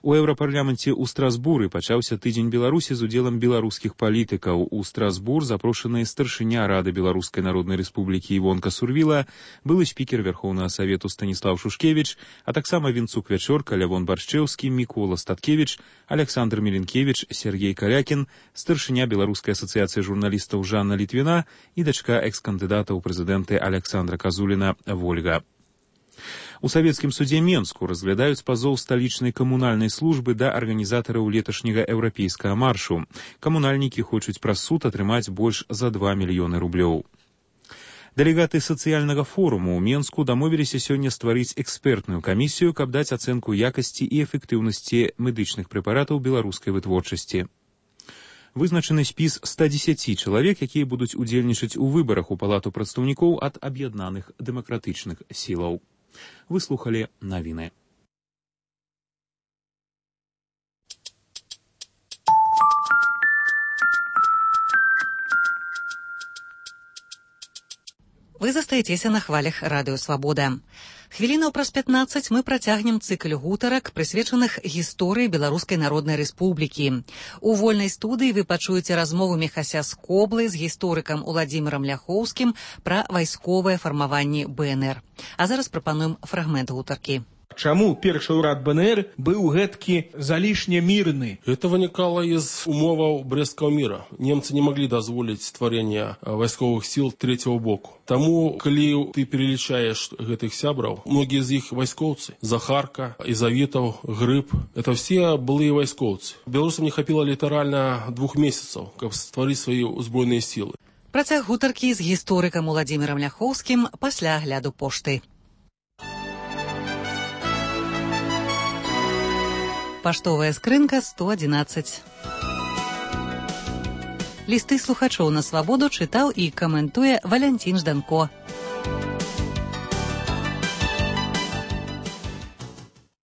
У Еўрапарламенце ў Страсбуры пачаўся тыдзень Беларусі з удзелам беларускіх палітыкаў. У Страсбур запрошаныя старшыня Рады Беларускай Народнай Рэспублікі Івонка Сурвіла, былы спікер Верхоўнага Савету Станіслав Шушкевіч, а таксама Вінцук Вячорка, Лявон Баршчэўскі, Мікола Статкевіч, Александр Міленкевіч, Сергей Калякін, старшыня Беларускай асацыяцыі журналістаў Жанна Літвіна і дачка экс-кандыдата ў прэзідэнты Александра Казуліна Вольга. У савецкім судзе Менску разглядаюць пазоў сталічнай камунальнай службы да арганізатараў леташняга еўрапейскага маршу. Камунальнікі хочуць праз суд атрымаць больш за два мільёны рублёў. Дэлегаты сацыяльнага форуму ў Менску дамовіліся сёння стварыць экспертную камісію, каб даць ацэнку якасці і эфектыўнасці медычных прэпаратаў беларускай вытворчасці. Вызначаны спіс ста дзесяці чалавек, якія будуць удзельнічаць у выбарах у палату прадстаўнікоў ад аб'яднаных дэмакратычных сілаў. Вы слухали навіны. Вы застаецеся на хвалях Радыё Свабода. Хвілінаў праз пятнаццаць мы працягнем цыкл гутарак, прысвечаных гісторыі Беларускай Народнай Рэспублікі. У вольнай студыі вы пачуеце размову Міхася Скоблы з гісторыкам Уладзімірам Ляхоўскім пра вайсковае фармаванне Бэ Эн Эр. А зараз прапануем фрагмент гутаркі. Чаму першы ўрад Бэ Эн Эр быў гэткі залішне мірны? Это вынікала из умоваў Брестского мира. Немцы не могли дазволіць стварэння вайсковых сил третьего боку. Таму, калі ты перелічаеш гэтых сябраў, многія з іх вайскоўцы. Захарка, Изавитов, Грыб, это все былыя вайскоўцы. Беларусам не хапіла літаральна двух месяцаў, каб стварыць свае узброеныя сілы. Працяг гутаркі з гісторыкам Уладзімірам Ляхоўскім пасля агляду пошты. Паштовая скрынка сто адзінаццаць. Лісты слухачоў на свабоду чытаў і каментуе Валянцін Жданко.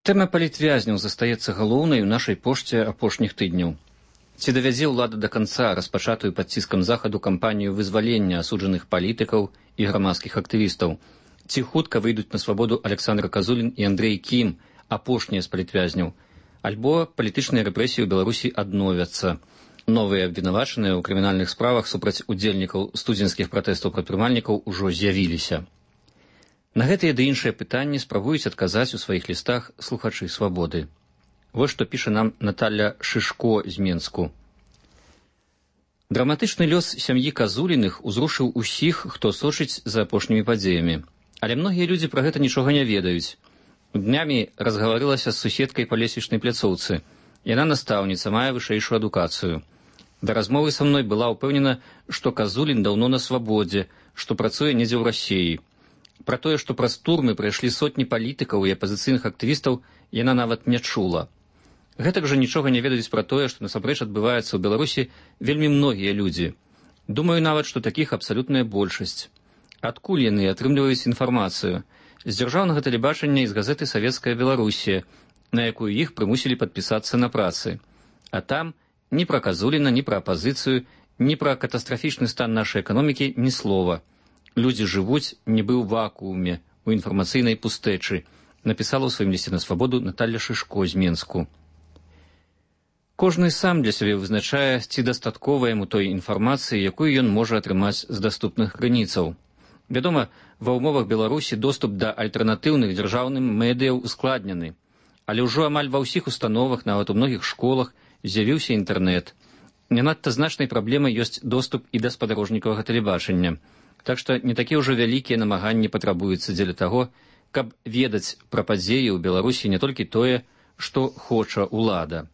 Тэма палітвязняў застаецца галоўнай у нашай пошце апошніх тыдняў. Ці давядзе ўлада да канца распачатую пад ціскам захаду кампанію вызвалення асуджаных палітыкаў і грамадскіх актывістаў? Ці хутка выйдуць на свабоду Александр Казулін і Андрэй Кім, апошнія з палітвязняў? Альбо палітычныя рэпрэсіі ў Беларусі адновяцца. Новыя абвінавачаныя ў крымінальных справах супраць удзельнікаў студзенскіх пратэстаў прадпрымальнікаў ужо з'явіліся. На гэтыя ды іншыя пытанні спрабуюць адказаць у сваіх лістах слухачы свабоды. Вось што піша нам Наталья Шышко з Менску. Драматычны лёс сям'і Казуліных узрушыў усіх, хто сочыць за апошнімі падзеямі. Але многія людзі пра гэта нічога не ведаюць. Днямі разгаварылася з суседкай па лесвічнай пляцоўцы. Яна настаўніца, мае вышэйшую адукацыю. Да размовы са мной была ўпэўнена, што Казулін даўно на свабодзе, што працуе недзе ў Расіі. Пра тое, што праз турмы прайшлі сотні палітыкаў і апазіцыйных актывістаў, яна нават не чула. Гэтак жа нічога не ведаюць пра тое, што насамрэч адбываецца ў Беларусі вельмі многія людзі. Думаю нават, што такіх абсалютная большасць. Адкуль яны атрымліваюць інфармацыю? З дзяржаўнага тэлебачання і з газеты «Савецкая Беларусія», на якую іх прымусілі падпісацца на працы. А там ні пра Казуліна, ні пра апазіцыю, ні пра катастрафічны стан нашай эканомікі ні слова. Людзі жывуць нібы ў вакууме, у інфармацыйнай пустэчы, напісала ў сваім лісце на свабоду Наталья Шышко з Менску. Кожны сам для сябе вызначае, ці дастаткова яму той інфармацыі, якую ён можа атрымаць з даступных крыніцаў. Вядома, ва ўмовах Беларусі доступ да альтэрнатыўных дзяржаўным медыяў ускладнены. Але ўжо амаль ва ўсіх установах, нават у многіх школах, з'явіўся інтэрнэт. Не надта значнай праблемай ёсць доступ і да спадарожнікавага тэлебачання. Так што не такія ўжо вялікія намаганні патрабуюцца дзеля таго, каб ведаць пра падзеі ў Беларусі не толькі тое, што хоча ўлада.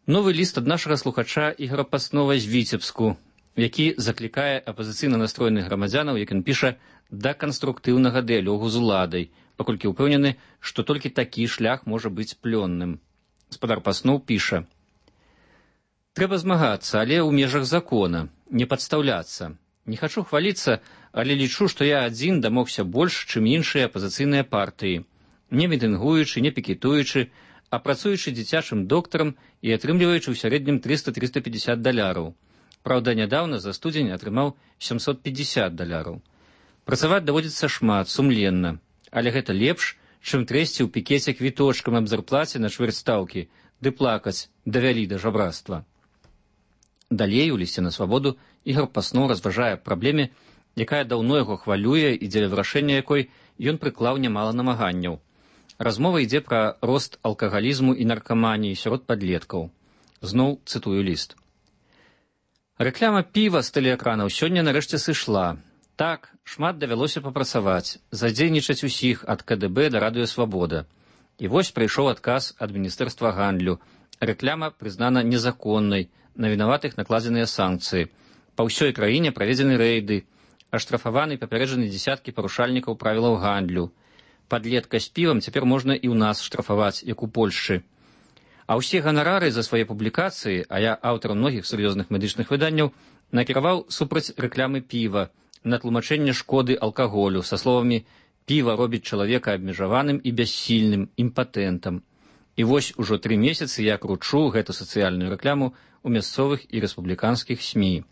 Новы ліст ад нашага слухача Ігора Паснова з Віцебску, які заклікае апазіцыйна настроеных грамадзянаў, як ён піша, да канструктыўнага дыялогу з уладай, паколькі ўпэўнены, што толькі такі шлях можа быць плённым. Спадар Паснов піша: «Трэба змагацца, але ў межах закона, не падстаўляцца. Не хачу хваліцца, але лічу, што я адзін дамогся больш, чым іншыя апазіцыйныя партыі, не мітынгуючы, не пікетуючы, а працуючы дзіцячым доктарам і атрымліваючы ў сярэднім трыста - трыста пятьдесят даляраў. Праўда, нядаўна за студзень атрымаў семьсот пятьдесят даляраў. Працаваць даводзіцца шмат, сумленна. Але гэта лепш, чым трэсці ў пікеце квіточкам аб зарплаце на чвэрць стаўкі, ды плакаць давялі да жабрацтва». Далей у лісце на свабоду Ігор Паснов разважае праблеме, якая даўно яго хвалюе і дзеля вырашэння якой ён прыклаў нямала намаганняў. Размова ідзе пра рост алкагалізму і наркаманіі сярод падлеткаў. Зноў цытую ліст. «Рэкляма піва з тэлеэкранаў сёння нарэшце сышла. Так, шмат давялося папрацаваць, задзейнічаць усіх ад ка дэ бэ да радыёсвабода. І вось прыйшоў адказ ад Міністэрства гандлю. Рэкляма прызнана незаконнай, на вінаватых накладзеныя санкцыі. Па ўсёй краіне праведзены рэйды, аштрафаваны папярэджаны дзесяткі парушальнікаў правілаў гандлю. Падлетка з півам цяпер можна і ў нас штрафаваць, як у Польшчы. А ўсе ганарары за свае публікацыі, а я аўтар многіх сур'ёзных медычных выданняў, накіраваў супраць рэклямы піва, на тлумачэнне шкоды алкаголю са словамі «піва робіць чалавека абмежаваным і бяссільным, імпатэнтам». І вось ужо тры месяцы я кручу гэту сацыяльную рэкляму ў мясцовых і рэспубліканскіх СМІ.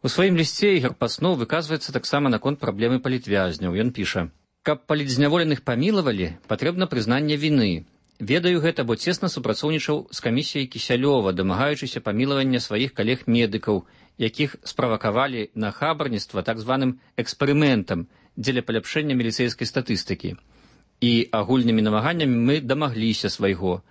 У сваім лісце Ігор Паснов выказваецца таксама наконт праблемы палітвязняў. Ён піша: «Каб палітзняволеных памілавалі, патрэбна прызнанне віны. Ведаю гэта, бо цесна супрацоўнічаў з камісіяй Кісялёва, дамагаючыся памілавання сваіх калег-медыкаў, якіх справакавалі на хабарніцтва так званым эксперыментам дзеля паляпшэння міліцэйскай статыстыкі. І агульнымі намаганнямі мы дамагліся свайго.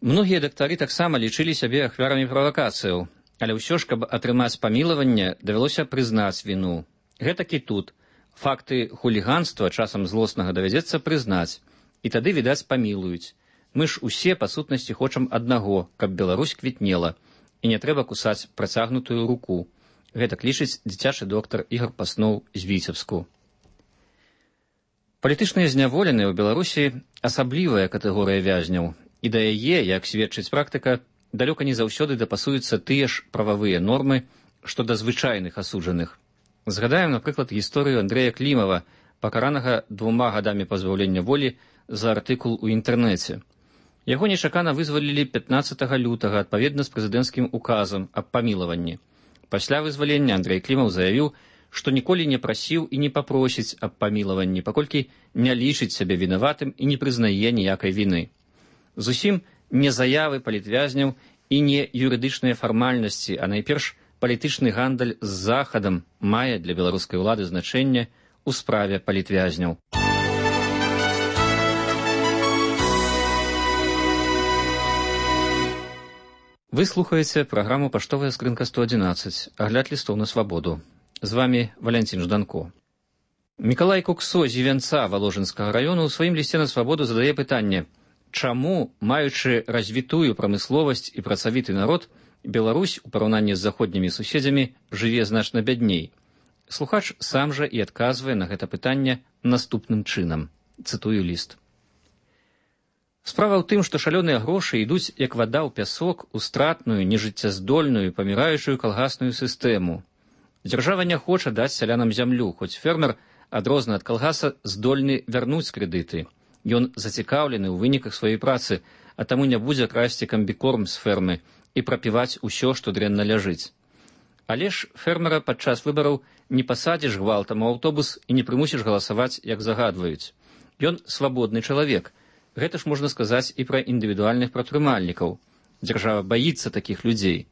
Многія дактары таксама лічылі сябе ахвярамі правакацыяў, але ўсё ж, каб атрымаць памілаванне, давялося прызнаць віну. Гэтак і тут. Факты хуліганства часам злоснага давядзецца прызнаць, і тады, відаць, памілуюць. Мы ж усе, па сутнасці, хочам аднаго, каб Беларусь квітнела, і не трэба кусаць працягнутую руку. Гэтак лічыць дзіцячы доктар Ігор Паснов з Віцебску. Палітычныя зняволеныя ў Беларусі асаблівая катэгорыя вязняў, і да яе, як сведчыць практыка, далёка не заўсёды дапасуюцца тыя ж прававыя нормы, што да звычайных асуджаных. Згадаем, напрыклад, гісторыю Андрэя Клімава, пакаранага двума гадамі пазбаўлення волі за артыкул у інтэрнэце. Яго нечакана вызвалілі пятнаццатага лютага адпаведна з прэзідэнцкім указам аб памілаванні. Пасля вызвалення Андрэй Клімаў заявіў, што ніколі не прасіў і не папросіць аб памілаванні, паколькі не лічыць сябе вінаватым і не прызнае ніякай віны. Зусім не заявы палітвязняў І не юрыдычныя фармальнасці, а найперш палітычны гандаль з Захадам мае для беларускай улады значэнне ў справе палітвязняў. Вы слухаеце праграму «Паштовая скрынка сто адзінаццаць», агляд лістоў на свабоду. З вами Валянцін Жданко. Мікалай Куксо з Івянца Валожынскага раёну ў сваім лісце на свабоду задае пытанне, чаму, маючы развітую прамысловасць і працавіты народ, Беларусь у параўнанні з заходнімі суседзямі жыве значна бядней. Слухач сам жа і адказвае на гэта пытанне наступным чынам. Цытую ліст. Справа ў тым, што шалёныя грошы ідуць як вада ў пясок у стратную, нежыццяздольную, паміраючую калгасную сістэму. Дзяржава не хоча даць сялянам зямлю, хоць фермер, адрозна ад калгаса, здольны вярнуць крэдыты. Ён зацікаўлены ў выніках сваёй працы, а таму не будзе красці камбікорм з фермы і прапіваць усё, што дрэнна ляжыць. Але ж фермера падчас выбараў не пасадзіш гвалтам у аўтобус і не прымусіш галасаваць, як загадваюць. Ён свабодны чалавек. Гэта ж можна сказаць і пра індывідуальных прадпрымальнікаў. Дзяржава баіцца такіх людзей.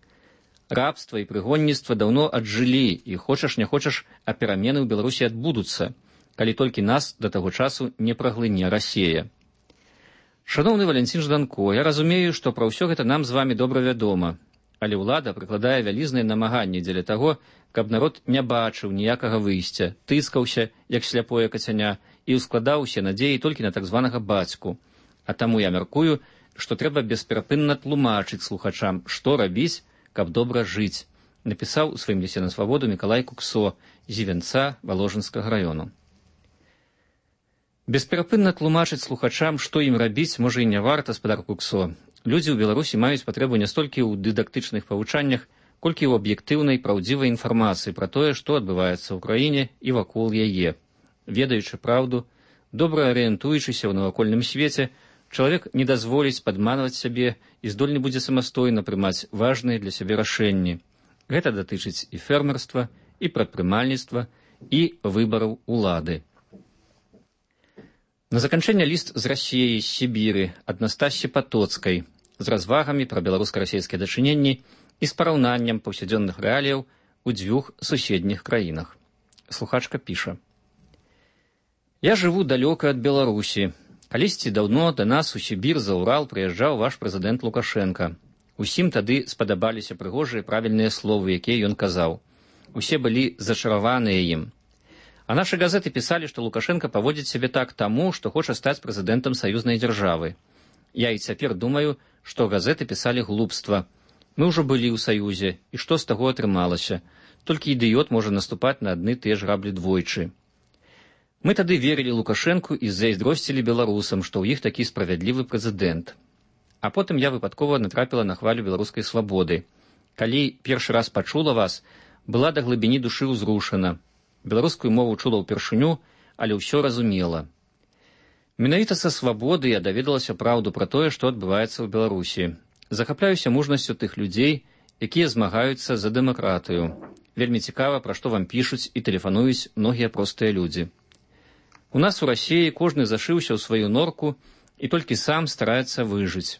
Рабства і прыгонніцтва даўно аджылі, і хочаш не хочаш, а перамены ў Беларусі адбудуцца, калі толькі нас да таго часу не праглыне Расія. Шаноўны Валянцін Жданко, я разумею, што пра ўсё гэта нам з вамі добра вядома, але ўлада прыкладае вялізныя намаганні дзеля таго, каб народ не бачыў ніякага выйсця, тыскаўся, як сляпое кацяня, і ўскладаў усе надзеі толькі на так званага бацьку. А таму я мяркую, што трэба бесперапынна тлумачыць слухачам, што рабіць, каб добра жыць, напісаў у сваім лісце на свабоду Мікалай Куксо з Івянца Валожынскага раёну. Бесперапынна тлумачыць слухачам, што ім рабіць, можа і не варта, спадар Куксо. Людзі ў Беларусі маюць патрэбу не столькі ў дыдактычных павучаннях, колькі ў аб'ектыўнай праўдзівай інфармацыі пра тое, што адбываецца ў краіне і вакол яе. Ведаючы праўду, добра арыентуючыся ў навакольным свеце, чалавек не дазволіць падманваць сябе і здольны будзе самастойна прымаць важныя для сябе рашэнні. Гэта датычыць і фермерства, і прадпрымальніцтва, і выбараў улады. На заканчэнне ліст з Расіяй, з Сібіры, ад Настасі Патоцкай, з развагамі пра беларуска-расійскія дачыненні і з параўнаннем паўсядзённых рэаліяў у дзвюх суседніх краінах. Слухачка піша. Я жыву далёка ад Беларусі. Калісьці даўно да нас у Сібір за Урал прыязджаў ваш прэзідэнт Лукашенка. Усім тады спадабаліся прыгожыя правільныя словы, якія ён казаў. Усе былі зачараваныя ім. А нашы газеты пісалі, што Лукашенка паводзіць сябе так таму, што хоча стаць прэзідэнтам саюзнай дзяржавы. Я і цяпер думаю, што газеты пісалі глупства. Мы ўжо былі ў саюзе, і што з таго атрымалася? Толькі ідыёт можа наступаць на адны тыя ж граблі двойчы. Мы тады верылі Лукашэнку і зайздросцілі беларусам, што ў іх такі справядлівы прэзідэнт. А потым я выпадкова натрапіла на хвалю беларускай свабоды. Калі першы раз пачула вас, была да глыбіні душы ўзрушана. Беларускую мову чула ўпершыню, але ўсё разумела. Менавіта са свабоды я даведалася праўду пра тое, што адбываецца ў Беларусі. Захапляюся мужнасцю тых людзей, якія змагаюцца за дэмакратыю. Вельмі цікава, пра што вам пішуць і тэлефануюць многія простыя людзі. У нас у Расіі кожны зашыўся ў сваю норку і толькі сам стараецца выжыць.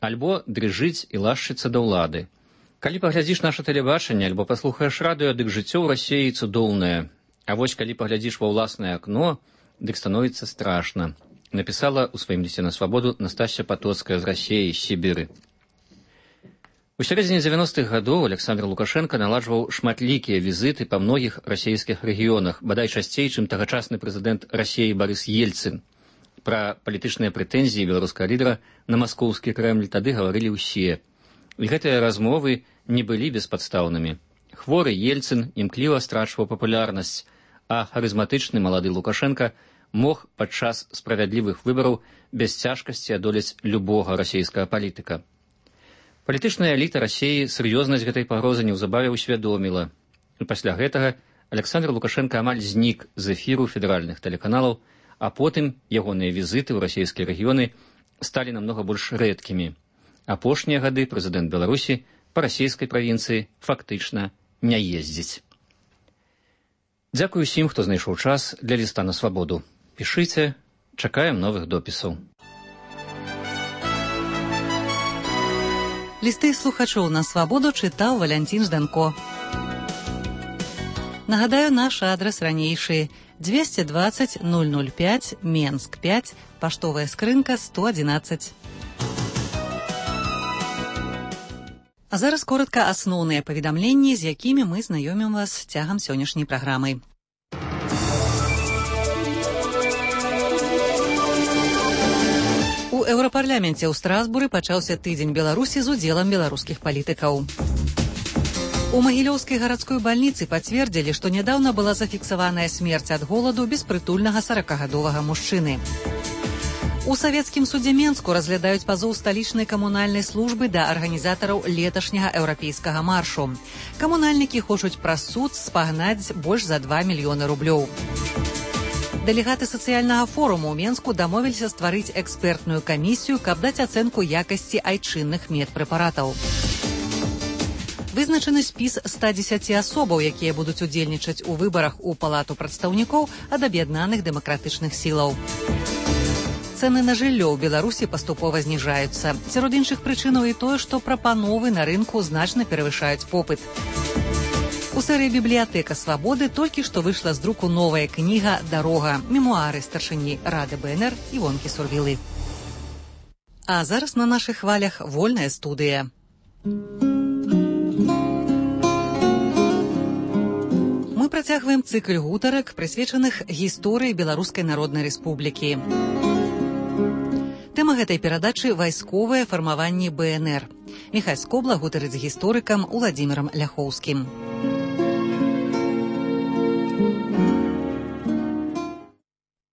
Альбо дрыжыць і лашчыцца да ўлады. Калі паглядзіш наша тэлебачанне, альбо паслухаеш радыё, дык жыццё ў Расіі цудоўнае. А вось калі паглядзіш ва ўласнае акно, дык становіцца страшна. Напісала ў сваім лісце на свабоду Настасья Патоцкая з Расіі, з Сібіры. У сярэдзіне дзевяностых гадоў Александр Лукашенко наладжваў шматлікія візіты па многіх расійскіх рэгіёнах, бадай часцей, чым тагачасны прэзідэнт Расіі Барыс Ельцын. Пра палітычныя прэтэнзіі беларускага лідара на маскоўскі Крэмль тады гаварылі ўсе. І гэтыя размовы не былі беспадстаўнымі. Хворы Ельцын імкліва страчваў папулярнасць, а харызматычны малады Лукашенко мог падчас справядлівых выбараў без цяжкасці адолець любога расійскага палітыка. Палітычная эліта Расіі сур'ёзнасць гэтай пагрозы неўзабаве ўсвядоміла. І пасля гэтага Александр Лукашенко амаль знік з эфіру федэральных тэлеканалаў, а потым ягоныя візіты ў расійскія рэгіёны сталі намнога больш рэдкімі. Апошнія гады прэзідэнт Беларусі па расійскай правінцыі фактычна не ездзіць. Дзякую усім, хто знайшоў час для ліста на свабоду. Пішыце, чакаем новых допісаў. Лісты слухачоў на свабоду чытаў Валянцін Жданко. Нагадаю, наш адрес ранейшы двести двадцать ноль ноль пять, Менск пять, паштовая скрынка сто одиннадцать. А зараз коротка асноўныя паведамленні, з якімі мы знаёмім вас цягам сённяшняй праграмы. У Еўрапарляменце ў Страсбуры пачаўся тыдзень Беларусі з удзелам беларускіх палітыкаў. У Магілёўскай гарадской бальніцы пацвердзілі, што нядаўна была зафіксаваная смерць ад голаду беспрытульнага саракагадовага мужчыны. У савецкім судзе Менску разглядаюць пазоў сталічнай камунальнай службы да арганізатараў леташняга еўрапейскага маршу. Камунальнікі хочуць праз суд спагнаць больш за два мільёны рублёў. Дэлегаты сацыяльнага форуму ў Менску дамовіліся стварыць экспертную камісію, каб даць ацэнку якасці айчынных медпрэпаратаў. Вызначаны спіс ста дзесяці асобаў, якія будуць удзельнічаць у выбарах у Палату прадстаўнікоў ад аб'яднаных дэмакратычных сілаў. Цэны на жыллё ў Беларусі паступова зніжаюцца. Сярод іншых прычынаў і тое, што прапановы на рынку значна перавышаюць попыт. У серыі «Бібліятэка свабоды» толькі што выйшла з друку новая кніга «Дарога» – мемуары старшыні Рады БНР Івонкі Сурвілы. А зараз на нашых хвалях вольная студыя. Мы працягваем цыкл гутарак, прысвечаных гісторыі Беларускай Народнай Рэспублікі. Тэма гэтай перадачы – вайсковае фармаванне БНР. Міхась Скобла гутарыць з гісторыкам Уладзімірам Ляхоўскім.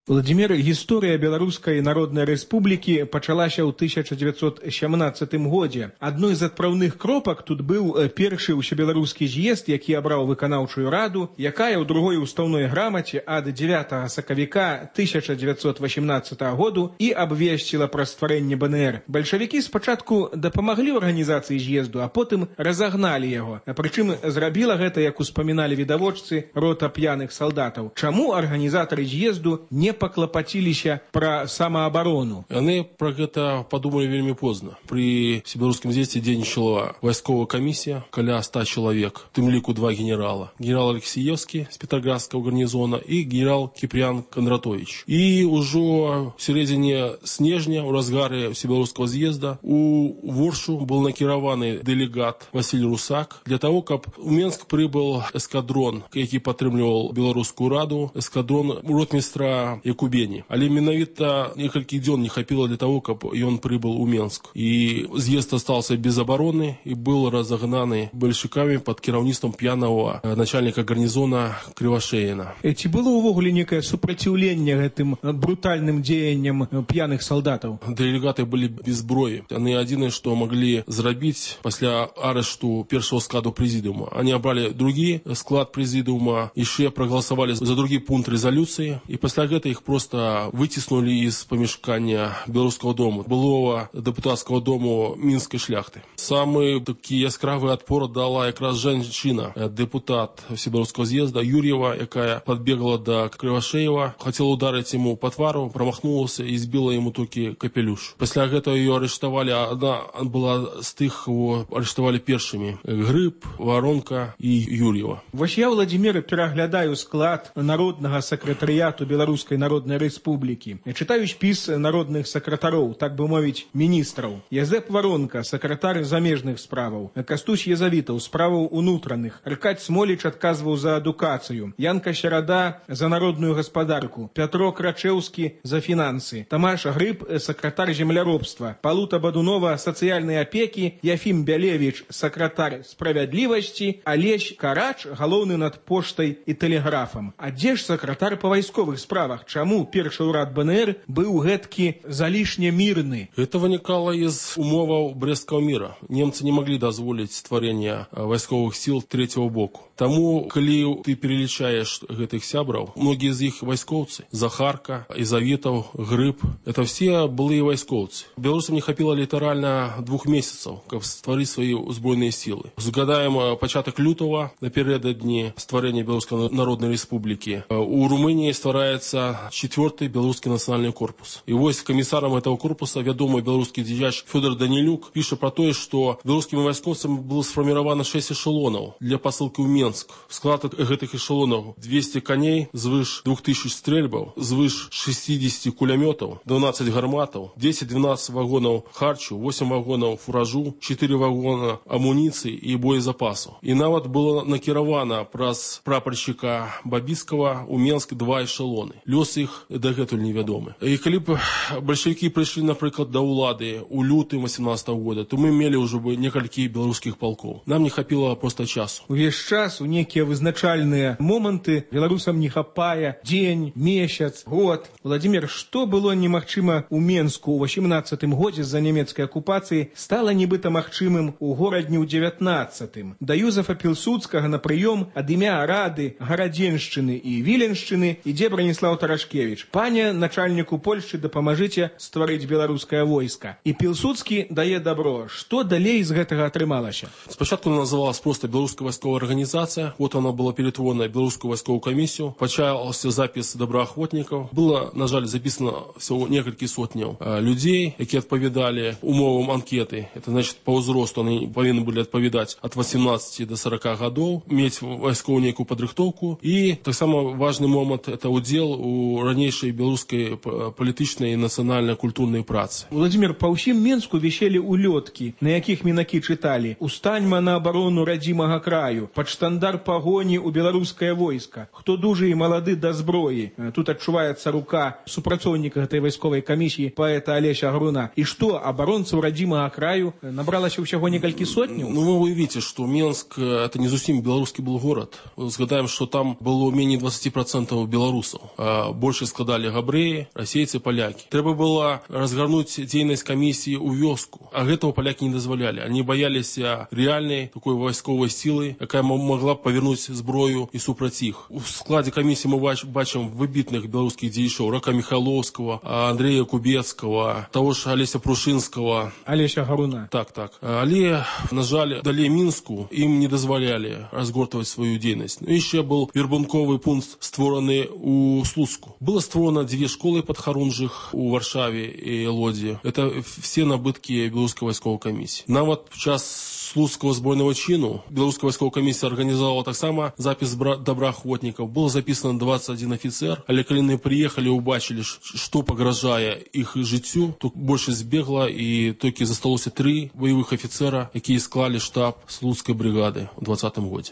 Владимир, гісторыя Беларускай Народнай Рэспублікі пачалася ў тысяча дзевяцьсот сямнаццатым годзе. Адной з адпраўных кропак тут быў першы ўсебеларускі з'езд, які абраў выканаўчую раду, якая ў другой устаўной грамаце ад дзевятага сакавіка тысяча дзевяцьсот васямнаццатага году і абвесціла пра стварэнне БНР. Бальшавікі спачатку дапамаглі арганізацыі з'езду, а потым разагналі яго. Прычым зрабіла гэта, як успаміналі відавочцы, рота п'яных салдатаў. Чаму арганізатары з'езду не паклапаціліся пра самаабарону? Яны пра гэта падумалі вельмі позна. Пры всебеларускім з'ездзе дзейнічала вайсковая камісія, каля ста чалавек, тым ліку два генерала. Генерал Алексеевскі з петроградскага гарнізона і генерал Кіпрян Кондратович. І ўжо в сярэдзіне снежня, у разгары всебеларускага з'езда, у Воршу был накіраваны дэлегат Васіль Русак для того, каб у Менск прыбыл эскадрон, які падтрымліваў Беларускую раду, эскадрон ротмістра Якубені. Але менавіта некалькі дзён не хапіла для того, каб ён прыбыл у Менск. І з'езд остался без обороны і был разогнаны бальшавікамі пад кіраўніцтвам п'янага начальніка гарнізона Крывашеіна. Ці было ўвогуле некае супраціўленне гэтым брутальным дзеянням п'яных салдатаў? Дэлегаты былі без зброі. Яны адзінае, што маглі зрабіць пасля арышту першага складу прэзідыума. Они абралі другі склад прэзідыума, яшчэ прагаласавалі за другі пункт рэзалюцыі, і пасля гэта их просто выціснулі из памяшкання Беларускага дому, былого дэпутацкага дому мінскай шляхты. Самы такі яскравы адпор дала якраз жанчына, дэпутат всебеларускага з'езда Юрьева, якая подбегла до Крывашеева, хотела ударить ему по твару, промахнулася и збила ему толькі капелюш. Пасля гэтага ее арыштавалі, она была з тых, кого арыштавалі першымі: Грыб, Воронка и Юрьева. Вось я, Владимир, пераглядаю склад народнага сакратарыяту Беларускай Народнай Рэспублікі. Чытаю спіс народных сакратароў, так бы мовіць, міністраў. Язэп Воронка, сакратар замежных справаў. Кастусь Язавітаў, справаў унутраных. Аркадь Смоліч адказваў за адукацыю. Янка Серада за народную гаспадарку. Пятро Крачэўскі за фінансы. Тамаш Грыб, сакратар земляробства. Палута Бадунова, сацыяльнай апекі. Яфім Бялевіч, сакратар справядлівасці. Алесь Карач, галоўны над поштай і тэлеграфам. А дзе ж сакратар па вайсковых справах? Чаму першы ўрад БНР быў гэткі залішне мірны? Это вынікала из умоваў Брестского мира. Немцы не могли дазволіць стварэння вайсковых сил третьего боку. Таму, калі ты перелічаеш гэтых сябраў, многія з іх вайскоўцы. Захарка, Ізавітаў, Грыб – это все былыя вайскоўцы. Беларусам не хапіла літаральна двух месяцаў, каб стварыць свае узброеныя сілы. Згадаем пачатак лютага, напярэдадні стварэння Беларускай Народнай Рэспублікі. У Румыніі ствараецца четвёртый белорусский национальный корпус. И вось комиссаром этого корпуса вядомый белорусский дзеяч Фёдор Данилюк пишет про то, что белорусскими войскоўцамі было сфарміравана шесть эшелонов для посылки в Минск. В склад этих эшелонов двести коней, звыш двух тысяч стрельбов, звыш шестьдесят кулеметов, двенадцать гарматов, десять-двенадцать вагонов харчу, восемь вагонов фуражу, четыре вагона амуниции и боезапасу. И нават было накіравана праз прапорщика Бабіцкага у Менск два эшелоны. Лёс іх дагэтуль невядомы. І калі б бальшавікі прыйшлі, напрыклад, да ўлады у лютым восемнадцатого года, то мы мелі ўжо бы некалькі беларускіх палкоў. Нам не хапіла проста часу. Увесь час у некія вызначальныя моманты беларусам не хапае дзень, месяц, год. Владимир, што было немагчыма у Менску ў восемнадцатым годзе з-за нямецкай акупацыі, стала нібыта магчымым у горадні ў дзевятнаццатым. Да Юзефа Пілсудскага на прыём ад імя Рады Гарадзеншчыны і Віленшчыны ідзе Браніслаў Тарашкевіч. Пане начальніку Польшчы, дапамажыце стварыць беларускае войска. І Пілсудскі дае добро. Што далей з гэтага атрымалася? Спачатку она называлась просто беларуская вайсковая организация. Вот она была перетворена в белорусскую войсковую комиссию. Почался запись доброохотников. Было, на жаль, записано всего несколько сотен э, людей, которые отповедали умовам анкеты. Это значит, по возрасту они повинны были отповедать от восемнадцати до сорока годов, иметь войсковую некую подрыхтовку. И так само важный момент – это удел у ранейшей белорусской политичной и национально-культурной працы. Владимир, по всем Менску висели улетки, на яких мінакі читали «Устаньма на оборону родимого краю», «Под штандар погони у белорусское войско», «Кто дужий и молоды до зброи». Тут отчувается рука супрацовника этой войсковой комиссии поэта Олеся Груна. И что, оборонцев родимого краю набралось всего несколько сотен? Ну, вы видите, что Менск – это не совсем белорусский был город. Згадаем, что там было менее двадцати процентов белорусов. А больше складали габреи, российцы, поляки. Треба было разгорнуть деятельность комиссии у вёску. А этого поляки не дозволяли. Они боялись реальной такой войсковой силы, якая могла повернуть зброю и супраць их. В складе комиссии мы бачим выбитных белорусских дзеячоў: Рака Михайловского, Андрея Кубецкого, того же Олеся Прушинского. Олеся Гаруна. Так, так. Але, на жаль, далее Минску им не дозволяли разгортывать свою деятельность. Но еще был вербунковый пункт, створенный у Слуцку. Было створено две школы под Харунжих у Варшаве и Лоди. Это все набытки белорусской войсковой комиссии. Нам вот в час Слуцкого збройного чину белорусская войсковая комиссия организовала так само запись доброохотников. Было записано двадцать один офицер, але калі они приехали, убачили, что погрожая их жыццю, то больше сбегло, и только засталося три боевых офицера, которые склали штаб Слуцкой бригады в двадцатом году.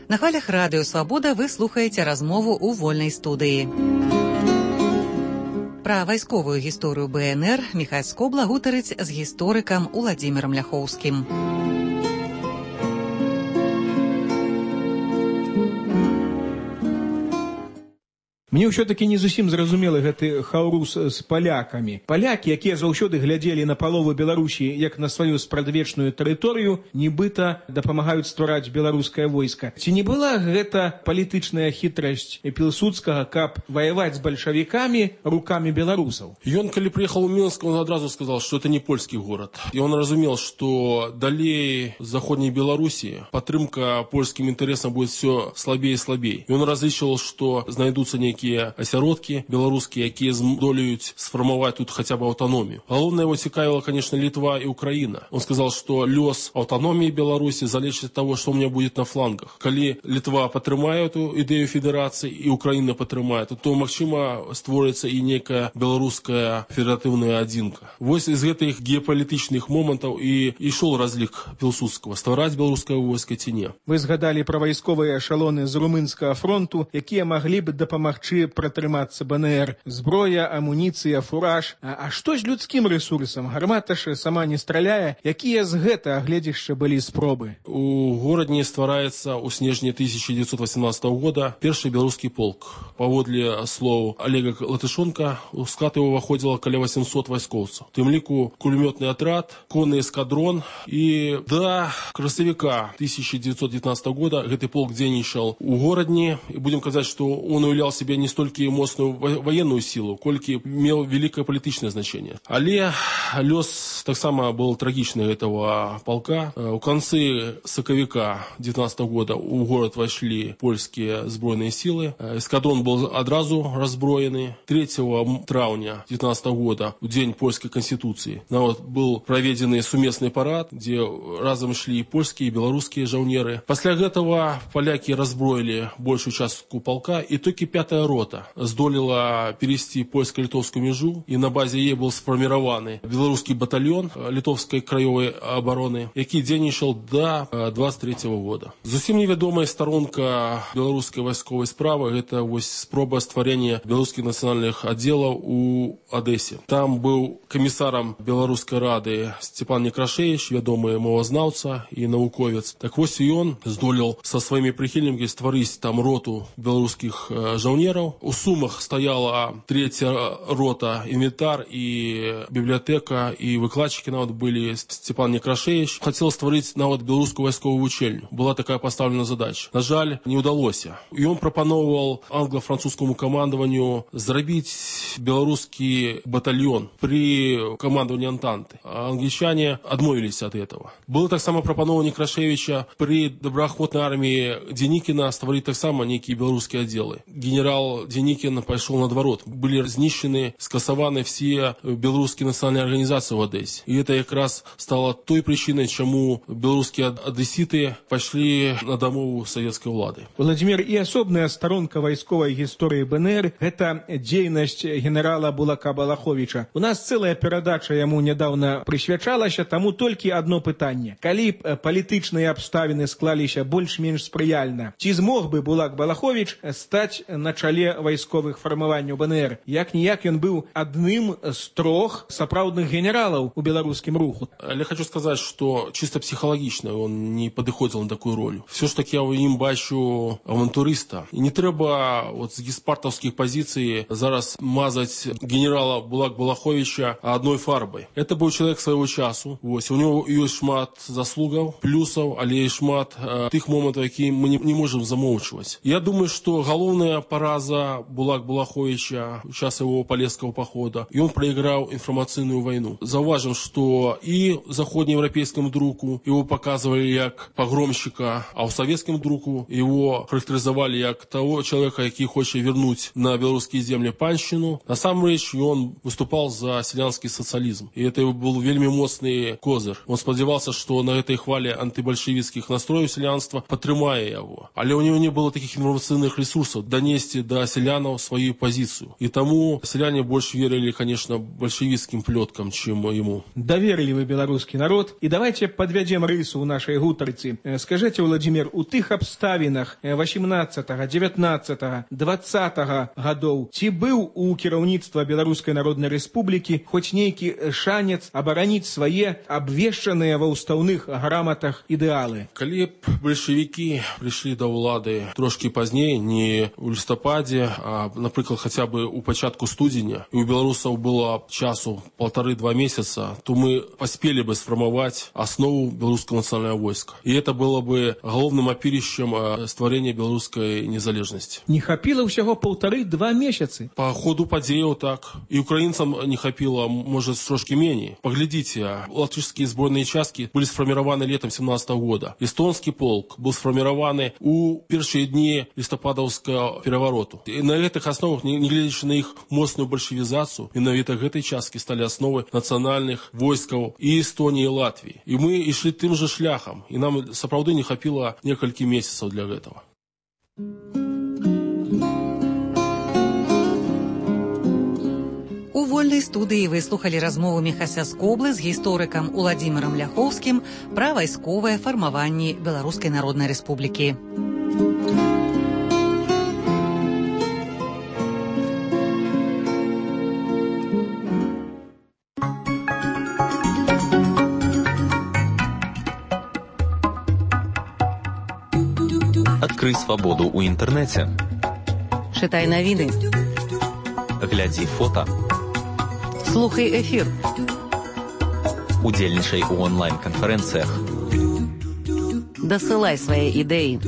На хвалях радыё «Свабода» вы слухаеце размову ў вольнай студыі. Пра вайсковую гісторыю бэ эн эр Міхась Скобла гутарыць з гісторыкам Уладзімірам Ляхоўскім. Мне ўсё-таки не зусім зразумелы гэты хаўрус з палякамі. Палякі, якія заўсёды глядзелі на палову Беларусі як на сваю спрадвечную тэрыторыю, нібыта дапамагаюць ствараць беларускае войска. Ці не была гэта палітычная хітрасць Пілсудскага, каб ваяваць з бальшавікамі рукамі беларусаў? Ён, калі приехал в Минск, он одразу сказал, что это не польский город. И он разумел, что далее Заходней Белоруссии падтрымка польским интересам будет все слабее и слабее. И он различил, что знайдутся некие асяродкі беларускія, якія здолеюць сфармаваць тут хотя бы аўтаномію. Галоўнае его цікавіла, конечно, Литва и Украина. Он сказал, что лёс аўтаномии Беларуси залежит от того, что у меня будет на флангах. Калі Литва падтрымае эту ідэю федерации и Украина падтрымае, то, магчыма, створыцца и некая беларуская федератыўная адзінка. Вось из гэтых геапалітычных момантаў и ішоў разлік Пілсудскага: ствараць беларускае войска ці не. Вы згадалі пра вайсковыя эшалоны з румынскага фронту, якія маглі б дапамагчы пратрымацца бэ эн эр. Зброя, амуніцыя, фураж. А, а што з людскім рэсурсам? Гармата ж сама не страляе. Якія з гэтага гледзішча былі спробы? У горадні ствараецца ў снежні тысяча девятьсот восемнадцатого года першы беларускі полк. Паводле слоў Олега Латышонка, у склад его выходзіла каля восемьсот вайскоўцаў. У тым ліку кулемётны атрад, конны эскадрон, і да красавіка тысяча девятьсот девятнадцатого года гэты полк дзейнічаў у горадні. І будем казаць, што он уяўляў себе не столькі моцную военную силу, колькі меў великое политическое значение. Але лёс Так само было трагично этого полка. У концы соковика девятнадцатого года у город вошли польские сбройные силы. Эскадрон был одразу разброены. третьего травня девятнадцатого года, в день польской конституции, вот, был проведен суместный парад, где разом шли и польские, и белорусские жаўнеры. После этого поляки разброили большую часть полка, и только пятая рота здолела перейти польско-литовскую межу, и на базе ей был сформирован белорусский батальон литовской краевой обороны, який дзейнічаў до двадцать третьего года. Зусім невядомая сторонка белорусской войсковой справы, это вот спроба стварения белорусских национальных отделов у Одессе. Там был комиссаром Белорусской рады Степан Некрашевич, вядомый мовазнаўца и науковец. Так вот и он здолел со своими прихильниками створить там роту белорусских э, жаўнеров. У Сумах стояла третья рота, инвентарь и библиотека, и выкладчики нават были Степан Некрашевич. Хотел створить нават белорусскую войсковую учельню. Была такая поставлена задача. На жаль, не удалось. И он пропановал англо-французскому командованию зрабіць белорусский батальон при командовании Антанты. А англичане отмовились от этого. Было так само пропановано Некрашевича при доброохотной армии Деникина створить так само некие белорусские отделы. Генерал Деникин пошел на дворот. Были разнищены, скасованы все белорусские национальные организации в Одессе. И это как раз стало той причиной, чему белорусские одесситы пошли на домову советской влады. Владимир, и особная сторонка войсковой истории БНР – это деятельность генерала Булака Балаховича. У нас целая передача ему недавно присвячалася, тому только одно питание. Калі б палітычныя абставіны склаліся больш-менш спрыяльна, ці змог бы Булак Балахович стаць на чале вайсковых фармаванняў БНР? Як-ніяк ён быў адным з трох сапраўдных генералаў у беларускім руху. Я хочу сказать, что чисто психологично он не подыходил на такую роль. Все ж таки я в ним бачу авантуриста. И не треба вот с геспартовских позиций зараз мазать генерала Булак Балаховича одной фарбой. Это был человек своего часу. Вот. У него есть шмат заслугов, плюсов, але и шмат э, тых моментов, які мы не, не можем замолчивать. Я думаю, что головная пораза Булак Балаховича в час его полесского похода, и он проиграл информационную войну. Зауважим, что и заходнеевропейскому другу его показывали как погромщика, а у советскому другу его характеризовали как того человека, який хочет вернуть на белорусские земли панщину. На самом деле он выступал за селянский социализм. И это был вельми моцный козыр. Он сподевался, что на этой хвале антибольшевистских настроев селянства потрымае его. Але у него не было таких информационных ресурсов донести до селянов свою позицию. И тому селяне больше верили, конечно, большевистским плеткам, чем ему. Доверили вы белорусский народ. И давайте подведем рысу у нашей гутарцы. Скажите, Владимир, у тых обставинах восемнадцатого, девятнадцатого, двадцатого годов ці быў у кіраўніцтва Беларускай Народнай Рэспублікі хоць нейкі шанец абараніць свае абвешчаныя ва ўстаўных граматах ідэалы? Калі б бальшавікі прыйшлі да ўлады трошки пазней, не ў лістападзе, а, напрыклад, хаця бы у пачатку студзеня, і у беларусаў было часу полторы-два месяца, то мы паспелі бы сфармаваць аснову беларускага нацыянальнага войска. І это было бы галоўным апірышчам стварэння беларускай незалежнасці. Не хапіла ўсяго полторы-два месяцы? По ходу падзеяў так. І украінцам не хапіла, может, трошки меней. Поглядите, латышские сборные части были сформированы летом семнадцатого года. Эстонский полк был сформирован у первые дни листопадовского переворота. И на этих основах, не глядя на их мощную большевизацию, менавіта этой части стали основы национальных войсков и Эстонии, и Латвии. И мы и шли тем же шляхом. И нам, сапраўды, не хапило несколько месяцев для этого. У вольнай студыі вы слухалі размову Міхася Скоблы з гісторыкам Уладзімірам Ляхоўскім пра вайсковае фармаванне Беларускай Народнай Рэспублікі. Адкрый свабоду ў інтэрнэце. Чытай навіны. Глядзі фота. Слухай эфір. Удзельнічай у онлайн-канферэнцыях. Дасылай свае ідэі.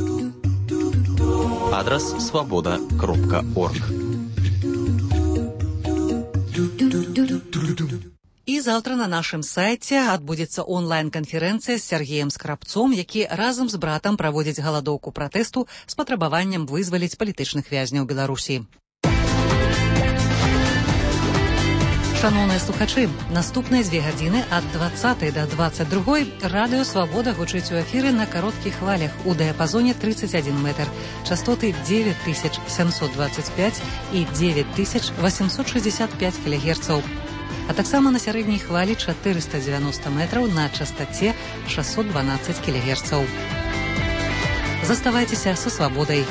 Адрас свабода кропка орг. І заўтра на нашым сайце адбудзецца онлайн-канферэнцыя з Сергеем Скрабцом, які разам з братам праводзіць галадоўку пратэсту з патрабаваннем вызваліць палітычных вязняў Беларусі. Шановныя слухачы, наступныя дзве гадзіны ад дваццатай да дваццаць другой радыё «Свабода» гучыць у эфіры на кароткіх хвалях у дыяпазоне тридцать один метр, частоты девять тысяч семьсот двадцать пять і девять тысяч восемьсот шестьдесят пять кілогерцаў, а таксама на сярэдняй хвалі четыреста девяносто метраў на частоце шестьсот двенадцать кілогерцаў. Заставайцеся са «Свабодай».